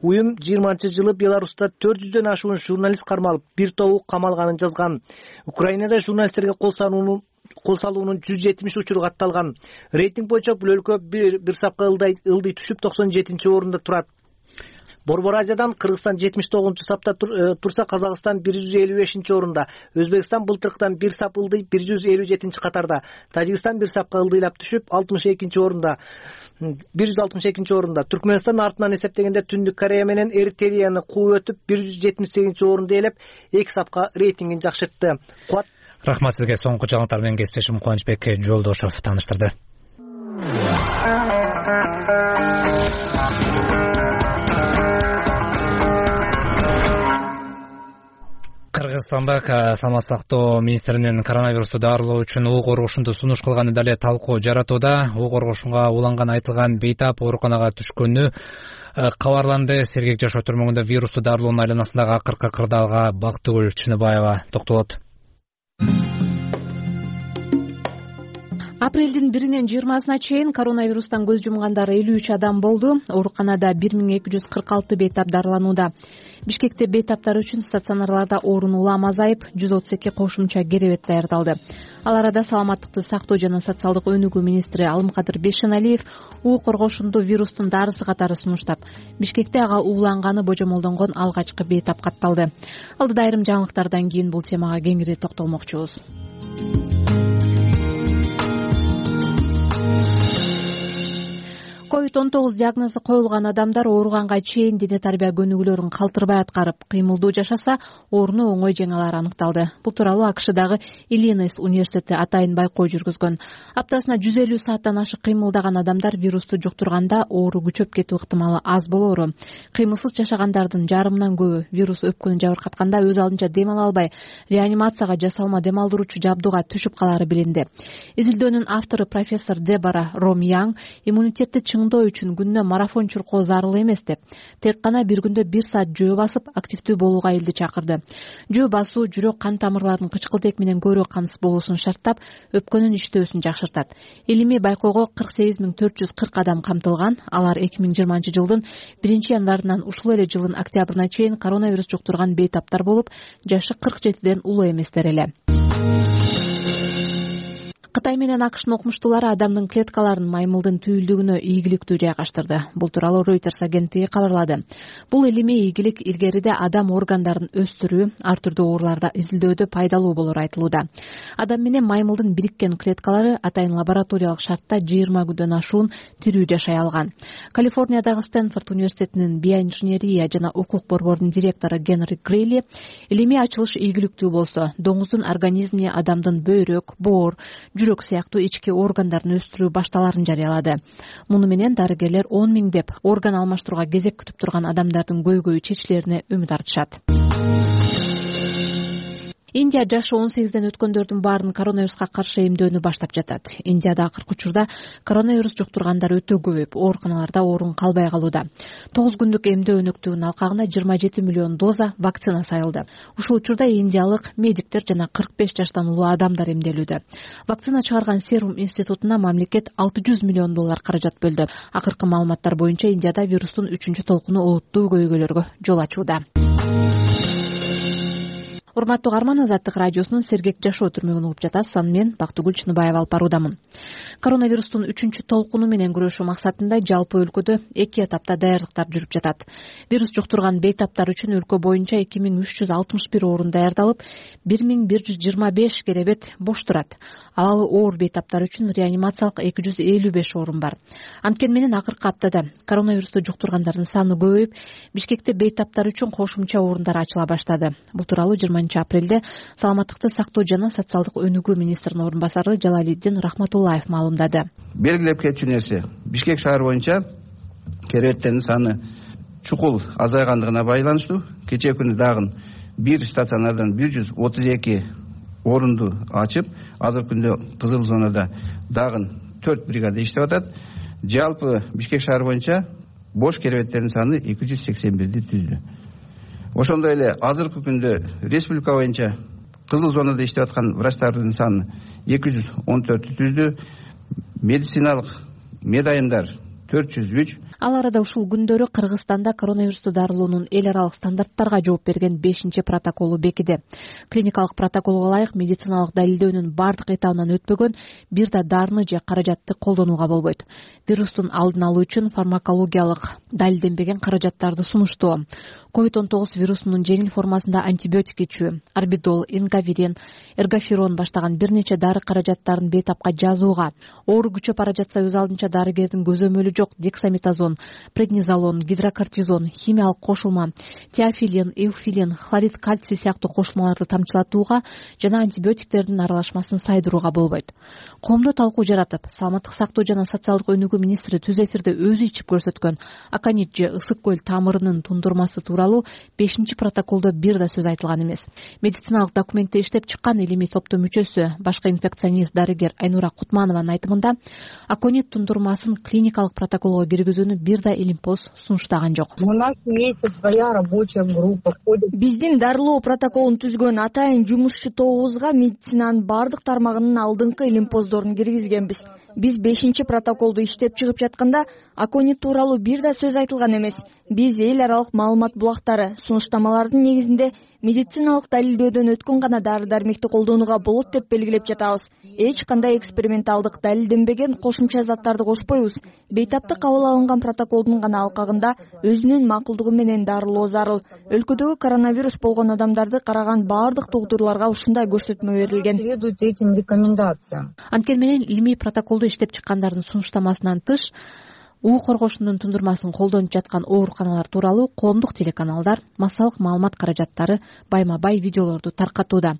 S6: Уюм жыйырманчы жылы Беларуста төрт жүздөн ашуун журналист кармалып, бир тобу камалганын жазган. Украинада журналисттерге кол салуунун кол салуунун жүз жетимиш учуру катталган. Рейтинг боюнча бул өлкө бир бир сапка ылдый түшүп токсон жетинчи орунда турат. Борбор Азиядан Кыргызстан жетимиш тогузунчу сапта турса, Казакстан бир жүз элүү бешинчи орунда, Өзбекстан былтыркыдан бир сап ылдый бир жүз элүү жетинчи катарда, Тажикстан бир сапка ылдыйлап түшүп алтымыш экинчи орунда, бир жүз алтымыш экинчи орунда. Түркмөнстан артынан эсептегенде Түндүк Корея менен Эритреяны кууп өтүп бир жүз жетимиш сегизинчи орунду ээлеп, эки сапка рейтингин жакшыртты. Куат.
S1: Рахмат сизге. Соңку жаңылыктар менен кесиптешим Кубанычбек Жолдошов тааныштырды. Кыргызстанда саламат сактоо министринин коронавирусту дарылоо үчүн уу коргошунду сунуш кылганы дале талкуу жаратууда. уу коргошунга уланган айтылган бейтап ооруканага түшкөнү кабарланды. Сергек жашоо түрмөгүндө вирусту дарылоонун айланасындагы акыркы кырдаалга Бактыгүл Чыныбаева токтолот.
S2: Апрелдин биринен жыйырмасына чейин коронавирустан көз жумгандар элүү үч адам болду. Ооруканада бир миң эки жүз кырк алты бейтап дарыланууда. Бишкекте бейтаптар үчүн стационарларда орун улам азайып, жүз отуз эки кошумча керебет даярдалды. Ал арада саламаттыкты сактоо жана социалдык өнүгүү министри Алымкадыр Бейшеналиев уу коргошунду вирустун дарысы катары сунуштап, Бишкекте ага ууланганы божомолдонгон алгачкы бейтап катталды. Алдыда айрым жаңылыктардан кийин бул темага кеңири токтолмокчубуз. ковид он тогуз диагнозу коюлган адамдар ооруганга чейин дене тарбия көнүгүүлөрүн калтырбай аткарып, кыймылдуу жашаса, ооруну оңой жеңе алары аныкталды. Бул тууралуу АКШдагы Иллинойс университети атайын байкоо жүргүзгөн. Аптасына жүз элүү сааттан ашык кыймылдаган адамдар вирусту жуктурганда оору күчөп кетүү ыктымалы аз болоору. Кыймылсыз жашагандардын жарымынан көбү вирус өпкөнү жабыркатканда өз алдынча дем ала албай, реанимацияга жасалма дем алдыруучу жабдууга түшүп калары билинди. Изилдөөнүн автору профессор Дебора Ромьян иммунитетти чыңдоо үчүн күнүнө марафон чуркоо зарыл эмес деп, тек гана бир күндө бир саат жөө басып активдүү болууга элди чакырды. Жөө басуу жүрөк кан тамырларынын кычкылтек менен көбүрөөк камсыз болуусун шарттап, өпкөнүн иштөөсүн жакшыртат. Илимий байкоого кырк сегиз миң төрт жүз кырк адам камтылган. Алар эки миң жыйырманчы жылдын биринчи январынан ушул эле жылдын октябрына чейин коронавирус жуктурган бейтаптар болуп, жашы кырк жетиден улуу эместер эле. Кытай менен АКШнын окумуштуулары адамдын клеткаларын маймылдын түйүлдүгүнө ийгиликтүү жайгаштырды. Бул тууралуу Reuters агенттиги кабарлады. Бул илимий ийгилик илгериде адам органдарын өстүрүү, ар түрдүү ооруларда изилдөөдө пайдалуу болору айтылууда. Адам менен маймылдын бириккен клеткалары атайын лабораториялык шартта жыйырма күндөн ашуун тирүү жашай алган. Калифорниядагы Стэнфорд университетинин биоинженерия жана укук борборунун директору Генри Грейли илимий ачылыш ийгиликтүү болсо, доңуздун организмине адамдын бөйрөк, боор, жүрөк сыяктуу ички органдарын өстүрүү башталарын жарыялады. Муну менен дарыгерлер он миңдеп орган алмаштырууга кезек күтүп турган адамдардын көйгөйү чечилерине үмүт артышат. Индия жашы он сегизден өткөндөрдүн баарын коронавируска каршы эмдөөнү баштап жатат. Индияда акыркы учурда коронавирус жуктургандар өтө көбөйүп, ооруканаларда орун калбай калууда. тогуз күндүк эмдөө өнөктүгүнүн алкагына жыйырма жети миллион доза вакцина сайылды. Ушул учурда индиялык медиктер жана кырк беш жаштан улуу адамдар эмделүүдө. Вакцина чыгарган Serum институтуна мамлекет алты жүз миллион доллар каражат бөлдү. Акыркы маалыматтар боюнча Индияда вирустун үчүнчү толкуну олуттуу көйгөйлөргө жол ачууда. Урматтуу каарман, Азаттык радиосунун Сергек жашоо түрмөгүн угуп жатасыз. Аны мен Бактыгүл Чыныбаева алып баруудамын. Коронавирустун үчүнчү толкуну менен күрөшүү максатында жалпы өлкөдө эки этапта даярдыктар жүрүп жатат. Вирус жуктурган бейтаптар үчүн өлкө боюнча эки миң үч жүз алтымыш бир орун даярдалып, бир миң бир жүз жыйырма беш керебет бош турат. Ал оор бейтаптар үчүн реанимациялык эки жүз элүү беш орун бар. Анткени менен акыркы аптада коронавирусту жуктургандардын саны көбөйүп, Бишкекте бейтаптар үчүн кошумча орундар ачыла баштады. Бул тууралуу жыйырманчы апрелде саламаттыкты сактоо жана социалдык өнүгүү министринин орун басары Жалалиддин Рахматуллаев маалымдады.
S3: Белгилеп кетчү нерсе, Бишкек шаар боюнча керебеттердин саны чукул азайгандыгына байланыштуу. Кечээ күнү дагы бир стационардан бир жүз отуз эки орунду ачып, азыркы күндө кызыл зонада дагы төрт бригада иштеп атат. Жалпы Бишкек шаар боюнча бош керебеттердин саны эки жүз сексен бирди түздү. Ошондой эле азыркы күндө республика боюнча кызыл зонада иштеп аткан врачтардын саны эки жүз он төрттү түздү. Медициналык медайымдар төрт жүз үч.
S2: Ал арада ушул күндөрү Кыргызстанда коронавирусту дарылоонун эл аралык стандарттарга жооп берген бешинчи протоколу бекиди. Клиникалык протоколго ылайык медициналык далилдөөнүн бардык этабынан өтпөгөн бир да дарыны же каражатты колдонууга болбойт. Вирустун алдын алуу үчүн фармакологиялык далилденбеген каражаттарды сунуштоо, ковид он тогуз вирусунун жеңил формасында антибиотик ичүү, орбидол, ингаверин, эргоферон баштаган бир нече дары каражаттарын бейтапка жазууга, оору күчөп бара жатса өз алдынча дарыгердин көзөмөлү жок дексаметазон, преднизолон, гидрокортизон, химиялык кошулма, теофилин, эуфилин, хлорид кальций сыяктуу кошулмаларды тамчылатууга жана антибиотиктердин аралашмасын сайдырууга болбойт. Коомдо талкуу жаратып, саламаттык сактоо жана социалдык өнүгүү министри түз эфирде өзү ичип көрсөткөн аконит же ысык көл тамырынын тундурмасы тууралуу бешинчи протоколдо бир да сөз айтылган эмес. Медициналык документти иштеп чыккан илимий топтун мүчөсү, башкы инфекционист дарыгер Айнура Кутманованын айтымында, аконит тундурмасын клиникалык протоколго киргизүүнү бир да Илимпоз сунуштаган жок.
S4: У нас имеется своя рабочая группа. Биздин дарылоо протоколун түзгөн атайын жумушчу тобубузга медицинанын бардык тармагынын алдыңкы Илимпоздорун киргизгенбиз. Биз бешинчи протоколду иштеп чыгып жатканда аконит тууралуу бир да сөз айтылган эмес. Биз эл аралык маалымат булактары, сунуштамалардын негизинде медициналык далилдөөдөн өткөн гана дары-дармекти колдонууга болот деп белгилеп жатабыз. Эч кандай эксперименталдык далилденбеген кошумча заттарды кошпойбуз. Бейтапты кабыл алынган протоколдун гана алкагында өзүнүн макулдугу менен дарылоо зарыл. Өлкөдөгү коронавирус болгон адамдарды караган бардык доктурларга ушундай көрсөтмө берилген.
S2: Анткени менен илимий протоколду иштеп чыккандардын сунуштамасынан тыш уу коргошунун тундурмасын колдонуп жаткан ооруканалар тууралуу коомдук телеканалдар массалык маалымат каражаттары байма-бай видеолорду таркатууда.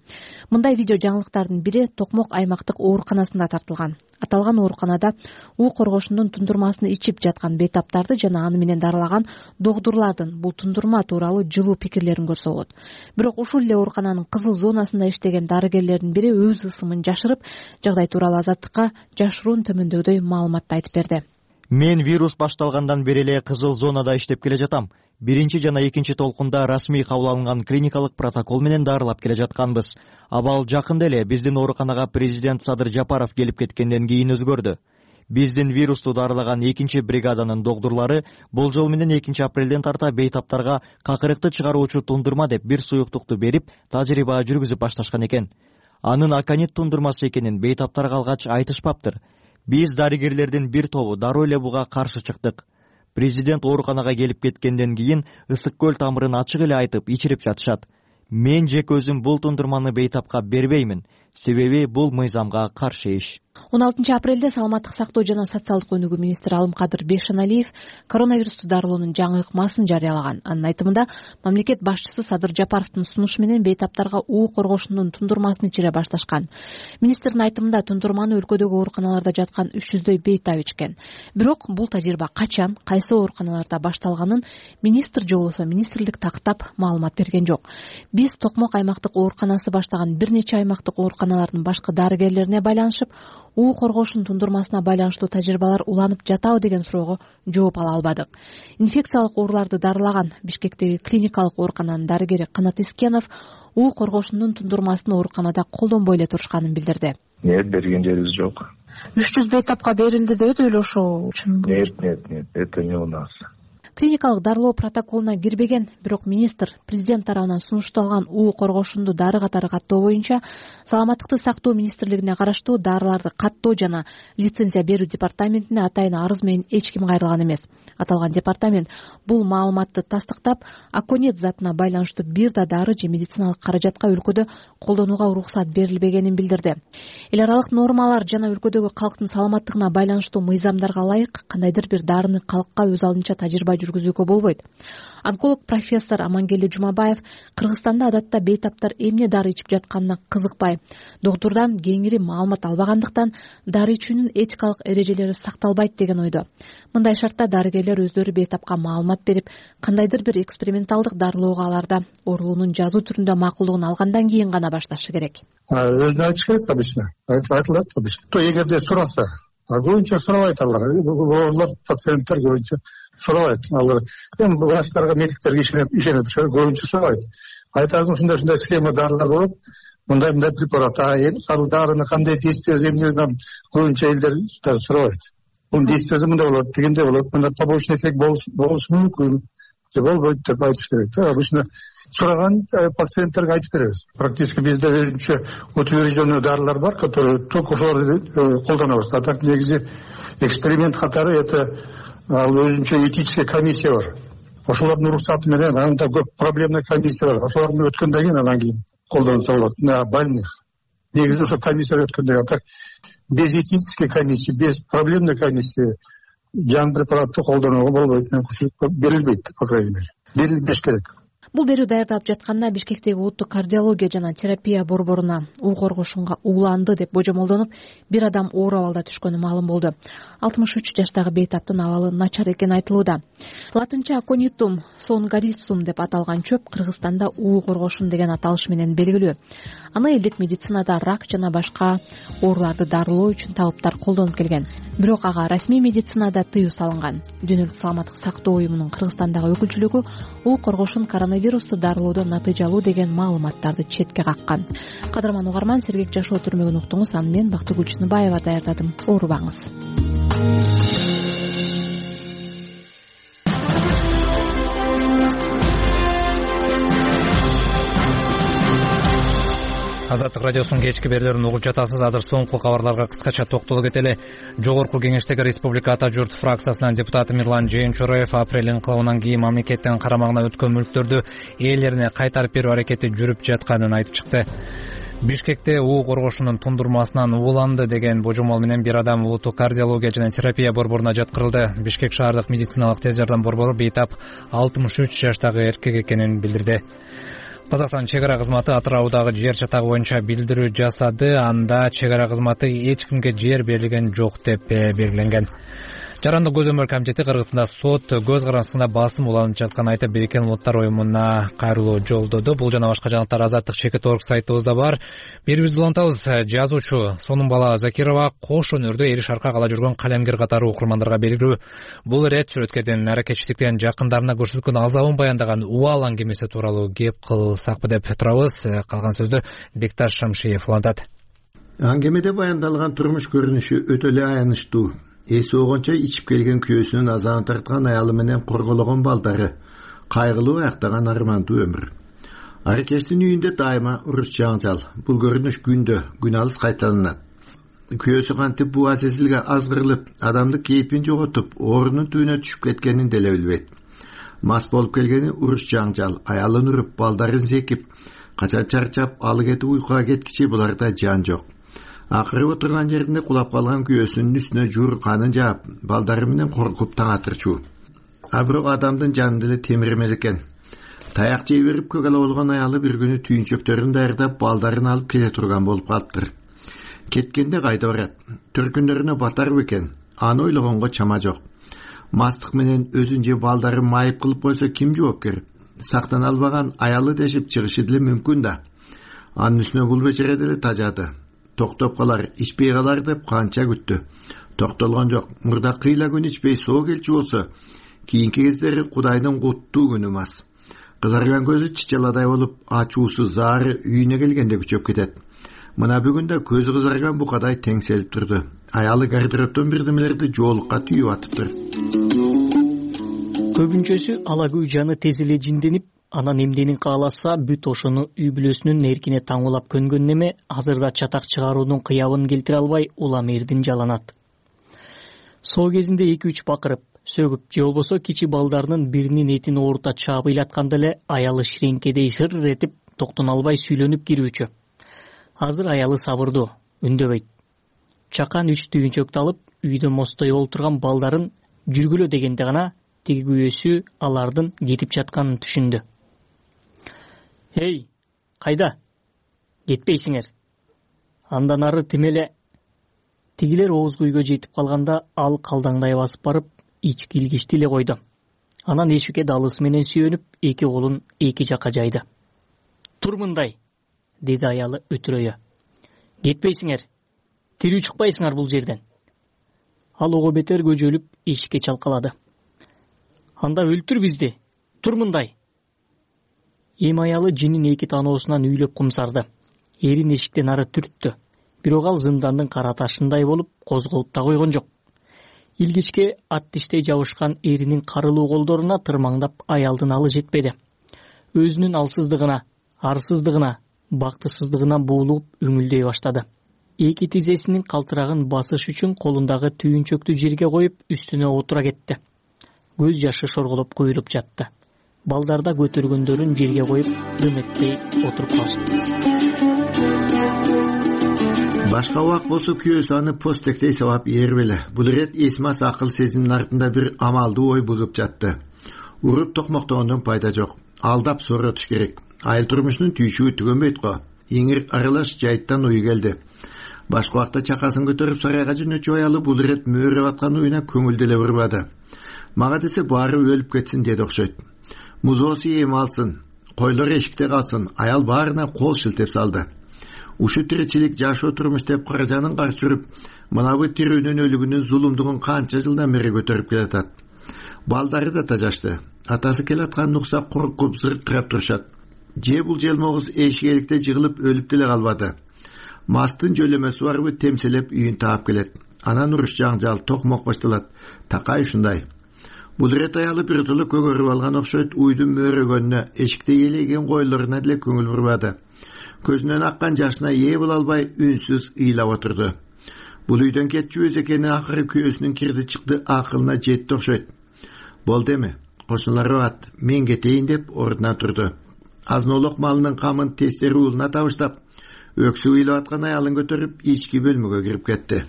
S2: Мындай видео жаңылыктардын бири Токмок аймактык ооруканасында тартылган. Аталган ооруканада уу коргошунун тундурмасын ичип жаткан бейтаптарды жана аны менен дарылаган докторлордун бул тундурма тууралуу жылуу пикирлерин көрсө болот. Бирок ушул эле оорукананын кызыл зонасында иштеген дарыгерлердин бири өз ысымын жашырып, жагдай тууралуу Азаттыкка жашыруун төмөндөгүдөй маалыматты айтып берди.
S7: Мен вирус башталгандан бери эле кызыл зонада иштеп келе жатам. Биринчи жана экинчи толкунда расмий кабыл алынган клиникалык протокол менен дарылап келе жатканбыз. Абал жакында эле биздин ооруканага президент Садыр Жапаров келип кеткенден кийин өзгөрдү. Биздин вирусту дарылаган экинчи бригаданын докторлору болжол менен экинчи апрелден тарта бейтаптарга какырыкты чыгаруучу тундурма деп бир суюктукту берип, тажрыйба жүргүзүп башташкан экен. анын аконит тундурмасы экенин бейтаптар калгач айтышпаптыр. Биз дарыгерлердин бир тобу дароо эле буга каршы чыктык. Президент ооруканага келип кеткенден кийин ысык көл тамырын ачык эле айтып ичирип жатышат. Мен жеке өзүм бул тундурманы бейтапка бербеймин, себеби бул мыйзамга каршы иш.
S2: он алтынчы апрелде саламаттык сактоо жана социалдык өнүгүү министри Алымкадыр Бейшеналиев коронавирусту дарылоонун жаңы ыкмасын жарыялаган. Анын айтымында мамлекет башчысы Садыр Жапаровдун сунушу менен бейтаптарга уу коргошундун тундурмасын ичире башташкан. Министрдин айтымында тундурманы өлкөдөгү ооруканаларда жаткан үч жүздөй бейтап ичкен. Бирок бул тажрыйба качан, кайсы ооруканаларда башталганын министр же болбосо министрлик тактап маалымат берген жок. Биз Токмок аймактык ооруканасы баштаган бир нече аймактык ооруканалардын башкы дарыгерлерине байланышып, уу коргошунун тундурмасына байланыштуу тажрыйбалар уланып жатабы деген суроого жооп ала албадык. Инфекциялык ооруларды дарылаган Бишкектеги клиникалык оорукананын дарыгери Канат Искенов уу коргошундун тундурмасын ооруканада колдонбой эле турушканын билдирди.
S10: Нет, берген жерибиз жок.
S2: үч жүз бейтапка берилди деп эле ошо чынбы?
S10: Нет, нет, нет, это не у нас.
S2: Клиникалык дарылоо протоколуна кирбеген, бирок министр президент тарабынан сунушталган уу коргошунду дары катары каттоо боюнча Саламаттыкты сактоо министрлигине караштуу дарыларды каттоо жана лицензия берүү департаментине атайын арыз менен эч ким кайрылган эмес. Аталган департамент бул маалыматты тастыктап, аконит затына байланыштуу бир да дары же медициналык каражатка өлкөдө колдонууга уруксат берилбегенин билдирди. Эл аралык нормалар жана өлкөдөгү калктын саламаттыгына байланыштуу мыйзамдарга ылайык кандайдыр бир дарыны калкка өз алдынча тажрыйба жүргүзүүгө болбойт. Онколог профессор Амангелди Жумабаев Кыргызстанда адатта бейтаптар эмне дары ичип жатканына кызыкпай, доктурдан кеңири маалымат албагандыктан дары ичүүнүн этикалык эрежелери сакталбайт деген ойдо. Мындай шартта дарыгерлер өздөрү бейтапка маалымат берип, кандайдыр бир эксперименталдык дарылоого аларда оорулуунун жазуу түрүндө макулдугун алгандан кийин гана башташы керек.
S8: Өзүнө айтыш керек обычно. Айтылат обычно. То эгерде сураса, а көбүнчө сурабайт алар. Оорулар пациенттер көбүнчө сурабайт. Алар эми врачтарга, медиктерге ишенет, ишенет, көбүнчө сурабайт. Айтасың ушундай ушундай схема дарылар болот, мындай мындай препарат, а эми ал дарыны кандай действиеси эмне көбүнчө элдер сурабайт. Бунун действиеси мындай болот, дегендей болот, мындай побочный эффект болушу мүмкүн, же болбойт деп айтыш керек. Обычно сураган пациенттерге айтып беребиз. Практически бизде өзүнчө утвержденный дарылар бар, которые только ошолорду колдонобуз. А так негизи эксперимент катары это ал өзүнчө этический комиссия бар. Ошолордун уруксаты менен анда көп проблемный комиссия бар. Ошолордун өткөндөн кийин анан кийин колдонсо болот. На больных. Негизи ошо комиссия өткөндөн кийин. А так без этической комиссии, без проблемной комиссии жаңы препаратты колдонууга болбойт. Берилбейт, по крайней мере. Берилбеш керек.
S2: Бул берүү даярдалып жатканда Бишкектеги улуттук кардиология жана терапия борборуна уу коргошунга ууланды деп божомолдонуп, бир адам оор абалда түшкөнү маалым болду. алтымыш үч жаштагы бейтаптын абалы начар экени айтылууда. Латынча аконитум сонгарицум деп аталган чөп Кыргызстанда уу коргошун деген аталыш менен белгилүү. Аны элдик медицинада рак жана башка ооруларды дарылоо үчүн табыптар колдонуп келген. Бирок ага расмий медицинада тыюу салынган. Дүйнөлүк саламаттык сактоо уюмунун Кыргызстандагы өкүлчүлүгү уу коргошун коронавирусту дарылоодо натыйжалуу деген маалыматтарды четке каккан. Кадырман угарман, сергек жашоо түрмөгүн уктуңуз. Аны мен Бактыгүл Чыныбаева даярдадым. Оорубаңыз.
S1: Азаттык радиосунун кечки берүүлөрүн угуп жатасыз. Азыр соңку кабарларга кыскача токтоло кетели. Жогорку Кеңештеги Республика Ата журт фракциясынын депутаты Мирлан Жээнчороев апрель инкылабынан кийин мамлекеттин карамагына өткөн мүлктөрдү ээлерине кайтарып берүү аракети жүрүп жатканын айтып чыкты. Бишкекте уу коргошунун тундурмасынан ууланды деген божомол менен бир адам улуттук кардиология жана терапия борборуна жаткырылды. Бишкек шаардык медициналык тез жардам борбору бейтап алтымыш үч жаштагы эркек экенин билдирди. Казакстан чек ара кызматы Атыраудагы жер чатагы боюнча билдирүү жасады. Анда чек ара кызматы эч кимге жер берилген жок деп белгиленген. Жарандык көз өмүр комитети Кыргызстанда сот көз карандысында басым уланып жатканын айтып, Бириккен Улуттар уюмуна кайрылуу жолдоду. Бул жана башка жаңылыктар азаттык чекит орг сайтыбызда бар. Берүүбүздү улантабыз. Жазуучу Сонунбала Закирова кош өнөрдө эри шаркак ала жүргөн калемгер катары окурмандарга белгилүү. Бул ирет сүрөткердин аракетчиликтен жакындарына көрсөткөн азабын баяндаган убал аңгемеси тууралуу кеп кылсакпы деп турабыз. Калган сөздү Бекташ Шамшиев улантат.
S11: Аңгемеде баяндалган турмуш көрүнүшү өтө эле аянычтуу. Эси огончо ичип келген күйөөсүнүн азабын тарткан аялы менен коргологон балдары, кайгылуу аяктаган армандуу өмүр. Аракештин үйүндө дайыма уруш жаңжал. Бул көрүнүш күндө күн алыс кайталанат. Күйөөсү кантип буга сезилге азгырылып, адамды кейпин жоготуп, оорунун түбүнө түшүп кеткенин деле билбейт. Мас болуп келгени уруш жаңжал, аялын уруп, балдарын секип, качан чарчап, алы кетип уйкуга кеткичи буларда жан жок. Акыры отурган жеринде кулап калган күйөөсүнүн үстүнө жур канын жаап, балдары менен коркуп таң атырчу. А бирок адамдын жаны деле темир эмес экен. Таяк жей берип көгала болгон аялы бир күнү түйүнчөктөрүн даярдап, балдарын алып келе турган болуп калыптыр. Кеткенде кайда барат? Төркүндөрүнө батар бекен? Аны ойлогонго чама жок. Мастык менен өзүн же балдарын майып кылып койсо ким жоопкер? Сактана албаган аялы дешип чыгышы деле мүмкүн да. Анын үстүнө бул бечере деле тажады. Токтоп калар, ичпей калар деп канча күттү. Токтолгон жок. Мурда кыйла күн ичпей соо келчү болсо, кийинки кездери Кудайдын куттуу күнү мас. Кызарган көзү чычаладай болуп, ачуусу, заары үйүнө келгенде күчөп кетет. Мына бүгүн да көзү кызарган букадай теңселип турду. Аялы гардеробтон бирдемелерди жоолукка түйүп атыптыр.
S12: Көбүнчөсү алагүй жаны тез эле жинденип, анан эмденин кааласа бүт ошону үй бүлөсүнүн эркине таңуулап көнгөн неме азырда чатак чыгаруунун кыябын келтире албай улам эрдин жаланат. Соо кезинде эки үч бакырып, сөгүп же болбосо кичи балдарынын биринин этин оорута чаап ыйлатканда эле аялы ширеңкедей шыр этип токтоно албай сүйлөнүп кирүүчү. Азыр аялы сабырдуу, үндөбөйт. Чакан үч түйүнчөктү алып, үйдө мостой олтурган балдарын жүргүлө дегенде гана тиги күйөөсү алардын кетип жатканын түшүндү. Эй, кайда? Кетпейсиңер. Андан ары тимеле. Тигилер оозгу үйгө жетип калганда ал калдаңдай басып барып, ички илгичти эле койду. Анан эшикке далысы менен сүйөнүп, эки колун эки жакка жайды. Тур мындай, деди аялы өтүрөйө. Кетпейсиңер. Тирүү чыкпайсыңар бул жерден. Ал ого бетер көжөлүп эшикке чалкалады. Анда өлтүр бизди. Тур мындай. Эми аялы жинин эки таноосунан үйлөп кумсарды. Эрин эшиктен ары түрттү. Бирок ал зындандын кара ташындай болуп, козголуп да койгон жок. Илгичке ат тиштей жабышкан эринин карылуу колдоруна тырмаңдап аялдын алы жетпеди. Өзүнүн алсыздыгына, арсыздыгына, бактысыздыгына буулуп үңүлдөй баштады. Эки тизесинин калтырагын басыш үчүн колундагы түйүнчөктү жерге коюп, үстүнө отура кетти. Көз жашы шорголоп куюлуп жатты. Балдар да көтөргөндөрүн жерге коюп, дым этпей отуруп калышты.
S11: Башка убак болсо күйөөсү аны постектей сабап ээрбеле. Бул ирет эсмас акыл сезимдин артында бир амалдуу ой бугуп жатты. Уруп токмоктогондон пайда жок. Алдап сооротуш керек. Айыл турмушунун түйшүгү түгөнбөйт го. Иңир аралаш жайыттан уй келди. Башка убакта чакасын көтөрүп сарайга жөнөчү аялы бул ирет мөөрөп аткан уюна көңүл деле бурбады. Мага десе баары өлүп кетсин деди окшойт. Музоосу эми алсын, койлор эшикте калсын. Аял баарына кол шилтеп салды. Ушу тиричилик жашоо турмуш деп каражанын каршы жүрүп, мынабы тирүүнүн өлүгүнүн зулумдугун канча жылдан бери көтөрүп келатат. Балдары да тажашты. Атасы келатканын укса коркуп зыркырап турушат. Же бул желмогуз эшикеликте жыгылып өлүп деле калбады. Мастын жөлөмөсү барбы темселеп үйүн таап келет. Анан уруш жаңжал, токмок башталат. Такай ушундай. Бул ирет аялы бир жолу көгөрүп алган окшойт, уйдун мөөрөгөнүнө, эшикте элеген койлоруна деле көңүл бурбады. Көзүнөн аккан жашына ээ боло албай үнсүз ыйлап отурду. Бул үйдөн кетчү өз экени акыры күйөөсүнүн кирди чыкты акылына жетти окшойт. Болду эми, кошуналар багат, мен кетейин деп ордуна турду. Азноолук малынын камын тестери уулуна табыштап, өксү ыйлап аткан аялын көтөрүп ички бөлмөгө кирип кетти.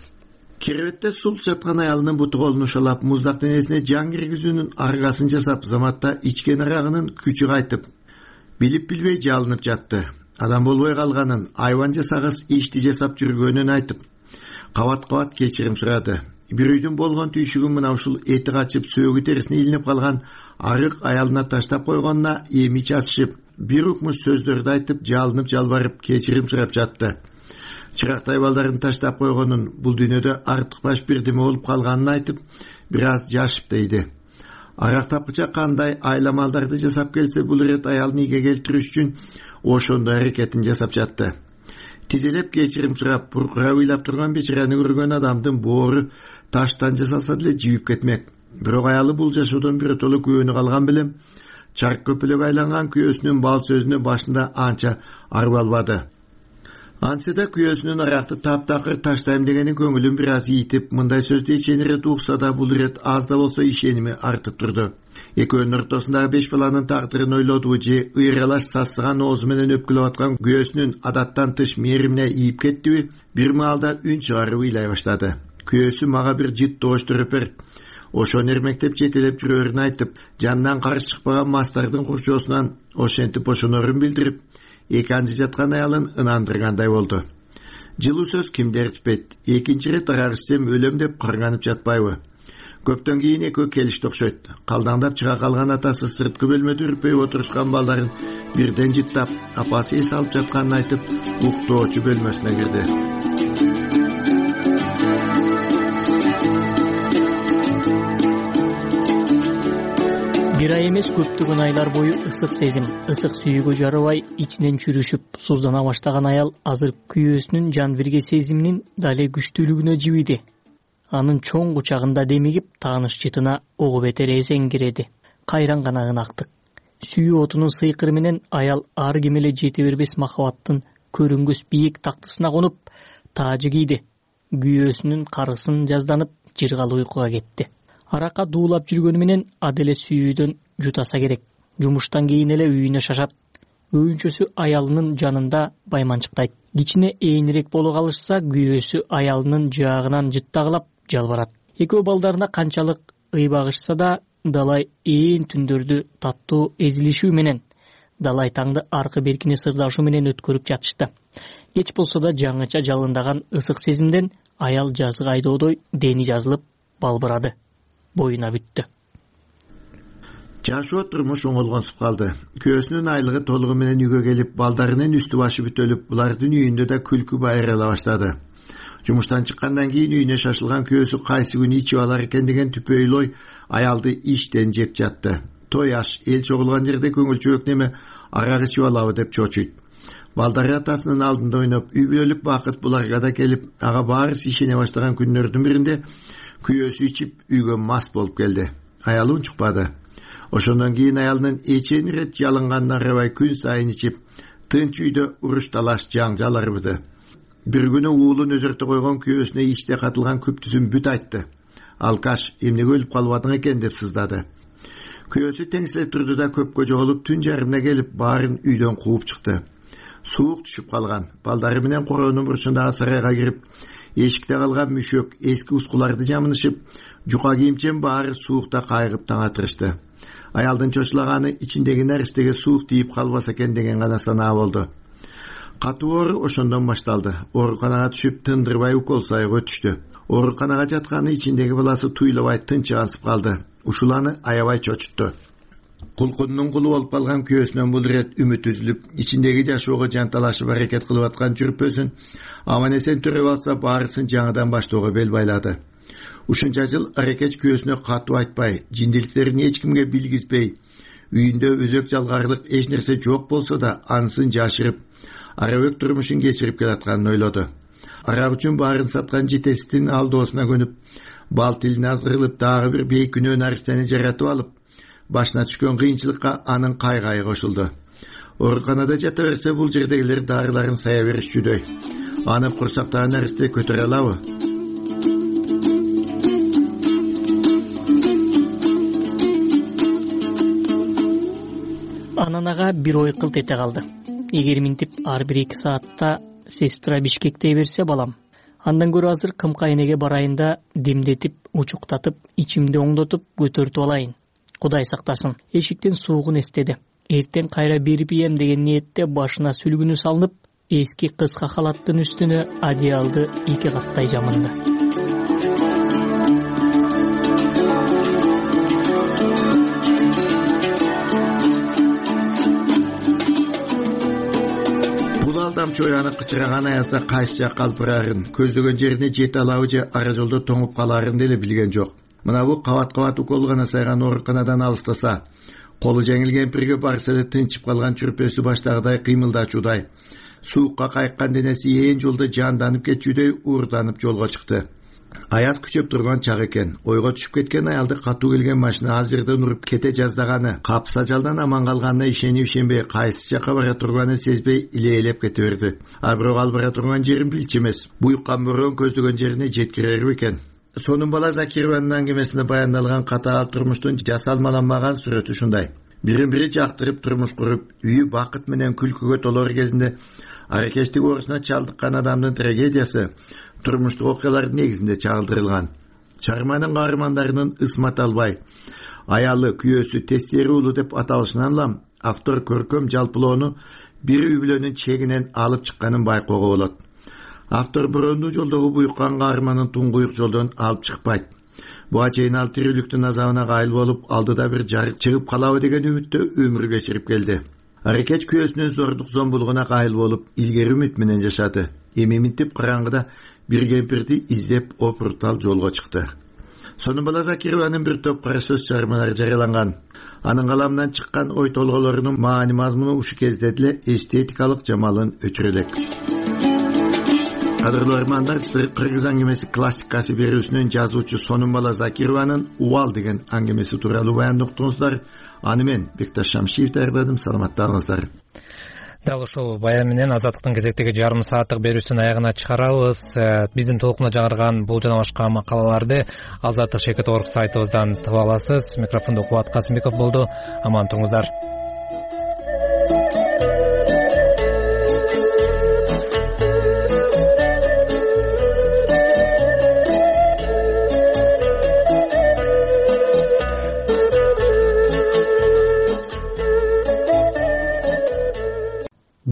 S11: Керебетте султ жаткан аялынын буту колун ушалап, муздак денесине жан киргизүүнүн аргасын жасап, заматта ичкен арагынын күчү кайтып, билип билбей жалынып жатты. Адам болбой калганын, айван жасагыс ишти жасап жүргөнүн айтып, кабат-кабат кечирим сурады. Бир үйдүн болгон түйшүгүн мына ушул эти качып, сөөгү терисине илинип калган арык аялына таштап койгонуна эми чачышып, бир укмуш сөздөрдү айтып, жалынып жалбарып, кечирим сурап жатты. Чырактай балдарын таштап койгонун, бул дүйнөдө артык баш бирдеме болуп калганын айтып, бир аз жашып дейди. Арак тапкыча кандай айламалдарды жасап келсе, бул ирет аялын ийге келтириш үчүн ошондой аракетин жасап жатты. Тизелеп кечирим сурап, буркурап ыйлап турган бечараны көргөн адамдын боору таштан жасалса деле жибип кетмек. Бирок аялы бул жашоодон биротоло күбөнү калган белем, чарк көпөлөк айланган күйөөсүнүн бал сөзүнө башында анча арба албады. Антсе да күйөөсүнүн аракты таптакыр таштайм дегени көңүлүн бир аз ийитип, мындай сөздү ичен ирет укса да бул ирет аз да болсо ишеними артып турду. Экөөнүн ортосундагы беш баланын тагдырын ойлоду же ыйралаш сассыган оозу менен өпкүлөп аткан күйөөсүнүн адаттан тыш мээримине ийип кеттиби, бир маалда үн чыгарып ыйлай баштады. Күйөөсү мага бир жыт доош төрөп бер, ошону эрмектеп жетелеп жүрөөрүн айтып, жанынан каршы чыкпаган мастардын курчоосунан ошентип ошонорун билдирип, эки анчы жаткан аялын ынандыргандай болду. Жылуу сөз кимди эртпейт, экинчи ирет арак ичсем өлөм деп кырганып жатпайбы? Көптөн кийин экөө келишти окшойт. Калдаңдап чыга калган атасы сырткы бөлмөдө үрпөйүп отурушкан балдарын бирден жыттап, апасы эс алып жатканын айтып, уктоочу бөлмөсүнө кирди.
S12: Бир ай эмес, көптөгөн айлар бою ысык сезим, ысык сүйүүгө жарабай, ичинен чүрүшүп, суздана баштаган аял азыр күйөөсүнүн жан бирге сезиминин дале күчтүүлүгүнө жибиди. Анын чоң кучагында демигип, тааныш жытына ого бетер эзеңгиреди. Кайран гана ынактык. Сүйүү отунун сыйкыры менен аял ар ким эле жете бербес махабаттын көрүнгөс бийик тактысына конуп, таажы кийди. Күйөөсүнүн карысын жазданып, жыргалы уйкуга кетти. Аракка дуулап жүргөнү менен аделе сүйүүдөн жутаса керек. Жумуштан кийин эле үйүнө шашат. Өйүнчөсү аялынын жанында байманчыктайт. Кичине ээнирээк боло калышса, күйөөсү аялынын жаагынан жыттагылап жалбарат. Экөө балдарына канчалык ыйбагышса да, далай ээн түндөрдү таттуу эзилишүү менен, далай таңды аркы беркини сырдашуу менен өткөрүп жатышты. Кеч болсо да жаңыча жалындаган ысык сезимден аял жазгы айдоодой дени жазылып балбырады. Боюна бүттү.
S11: Жашоо турмуш оңолгонсуп калды. Күйөөсүнүн айлыгы толугу менен үйгө келип, балдарынын үстү башы бүтөлүп, булардын үйүндө да күлкү байырала баштады. Жумуштан чыккандан кийин үйүнө шашылган күйөөсү кайсы күнү ичип алар экен деген түпөйлүү ой аялды иштен жеп жатты. Той аш, эл чогулган жерде көңүлчүөөк неме арак ичип алабы деп чочуйт. Балдары атасынын алдында ойноп, үй бүлөлүк бакыт буларга да келип, ага баарысы ишене баштаган күндөрдүн биринде күйөөсү ичип үйгө мас болуп келди. Аялы унчукпады. Ошондон кийин аялынын эчен ирет жалынгандан арабай күн сайын ичип, тынч үйдө уруш талаш жаңжал арбыды. Бир күнү уулун өзөртө койгон күйөөсүнө ичте катылган күптүсүн бүт айтты. Алкаш, эмнеге өлүп калбадың экен деп сыздады. Күйөөсү теңселе турду да көпкө жоголуп, түн жарымына келип баарын үйдөн кууп чыкты. Суук түшүп калган. Балдары менен короонун бурчундагы сарайга кирип, эшикте калган мүшөк, эски ускуларды жамынышып, жука кийимчен баары суукта кайгып таң атырышты. Аялдын чочулаганы ичиндеги наристеге суук тийип калбаса экен деген гана санаа болду. Катуу оору ошондон башталды. Ооруканага түшүп, тындырбай укол сайга өтүштү. Ооруканага жатканы ичиндеги баласы туйлабай тынчыгансып калды. Ушул аны аябай чочутту. Кулкунунун кулу болуп калган күйөөсүнөн бул ирет үмүт үзүлүп, ичиндеги жашоого жанталашып аракет кылып аткан жүрпөсүн аман эсен төрөп алса, баарысын жаңыдан баштоого бел байлады. Ушунча жыл аракет күйөөсүнө катуу айтпай, жиндиликтерин эч кимге билгизбей, үйүндө өзөк жалгарылык эч нерсе жок болсо да анысын жашырып, арабөк турмушун кечирип келатканын ойлоду. Арак үчүн баарын саткан жетеситтин алдоосуна көнүп, бал тилине азгырылып, дагы бир бейкүнөө нариштени жаратып алып, башына түшкөн кыйынчылыкка анын кайгайы кошулду. Ооруканада жата берсе, бул жердегилер дарыларын сая беришчүдөй. Аны курсактагы наристе көтөрө алабы?
S12: Анан ага бир ой кылт эте калды. Эгер минтип ар бир эки саатта сестра Бишкекте берсе балам, андан көрө азыр кымкайнеге барайын да демдетип, учуктатып, ичимди оңдотуп, көтөртүп алайын. Кудай сактасын. Эшиктен суугун эстеди. Эртең кайра берип ийем деген ниетте башына сүлгүнү салынып, эски кыска халаттын үстүнө одеялды эки каттай жамынды.
S11: Бул алдамчы ой аны кычыраган аязда кайсы жакка алып барарын, көздөгөн жерине жете алабы же ара жолдо тоңуп каларын деле билген жок. Мына бу кабат-кабат укол гана сайган ооруканадан алыстаса, колу жеңил кемпирге барса эле тынчып калган чүрпөсү баштагыдай кыймылдачуудай, суукка кайыккан денеси ээн жолдо жанданып кетчүдөй уурданып жолго чыкты. аяз күчөп турган чак экен. Ойго түшүп кеткен аялды катуу келген машина аз жерден уруп кете жаздаганы, капыс ажалдан аман калганына ишенип ишенбей кайсы жака бара турганын сезбей илейлеп кете берди. А бирок ал бара турган жерин билчү эмес. Буюккан бороон көздөгөн жерине жеткирер бекен. Сонун бала Закированын аңгемесинде баяндалган катаал турмуштун жасалмаланмаган сүрөтү ушундай. Бирин бири жактырып турмуш куруп, үйү бакыт менен күлкүгө толор кезинде аракештик оорусуна чалдыккан адамдын трагедиясы турмуштук окуялардын негизинде чагылдырылган. Чыгарманын каармандарынын ысмат албай, аялы, күйөөсү, тестери уулу деп аталышынан улам автор көркөм жалпылоону бир үй бүлөнүн чегинен алып чыкканын байкоого болот. Автор борондуу жолдогу буюккан каарманын туңгуюк жолдон алып чыкпайт. Буга чейин ал тирүүлүктүн азабына кайыл болуп, алдыда бир жарык чыгып калабы деген үмүттө өмүр кечирип келди. Аракеч күйөөсүнүн зордук зомбулугуна кайыл болуп, илгери үмүт менен жашады. Эми минтип караңгыда бир кемпирди издеп опуртал жолго чыкты. Сонун бала Закированын бир топ кара сөз чыгармалары жарыяланган. Анын каламынан чыккан ой толгоолорунун маани мазмуну ушу кезде деле эстетикалык жамалын өчүрө элек. Кадырлуу армандар, Кыргыз аңгемеси классикасы берүүсүнүн жазуучу Сонун бала Закированын Убал деген аңгемеси тууралуу баян уктуңуздар. Аны мен Бекташ Шамшиев даярдадым. Саламаттаңыздар.
S1: Дал ушул баян менен Азаттыктын кезектеги жарым сааттык берүүсүн аягына чыгарабыз. Биздин толкунда жаңырган бул жана башка макалаларды Азаттык Шекет Орг сайтыбыздан таба аласыз. Микрофондо Кубат Касымбеков болду. Аман туруңуздар.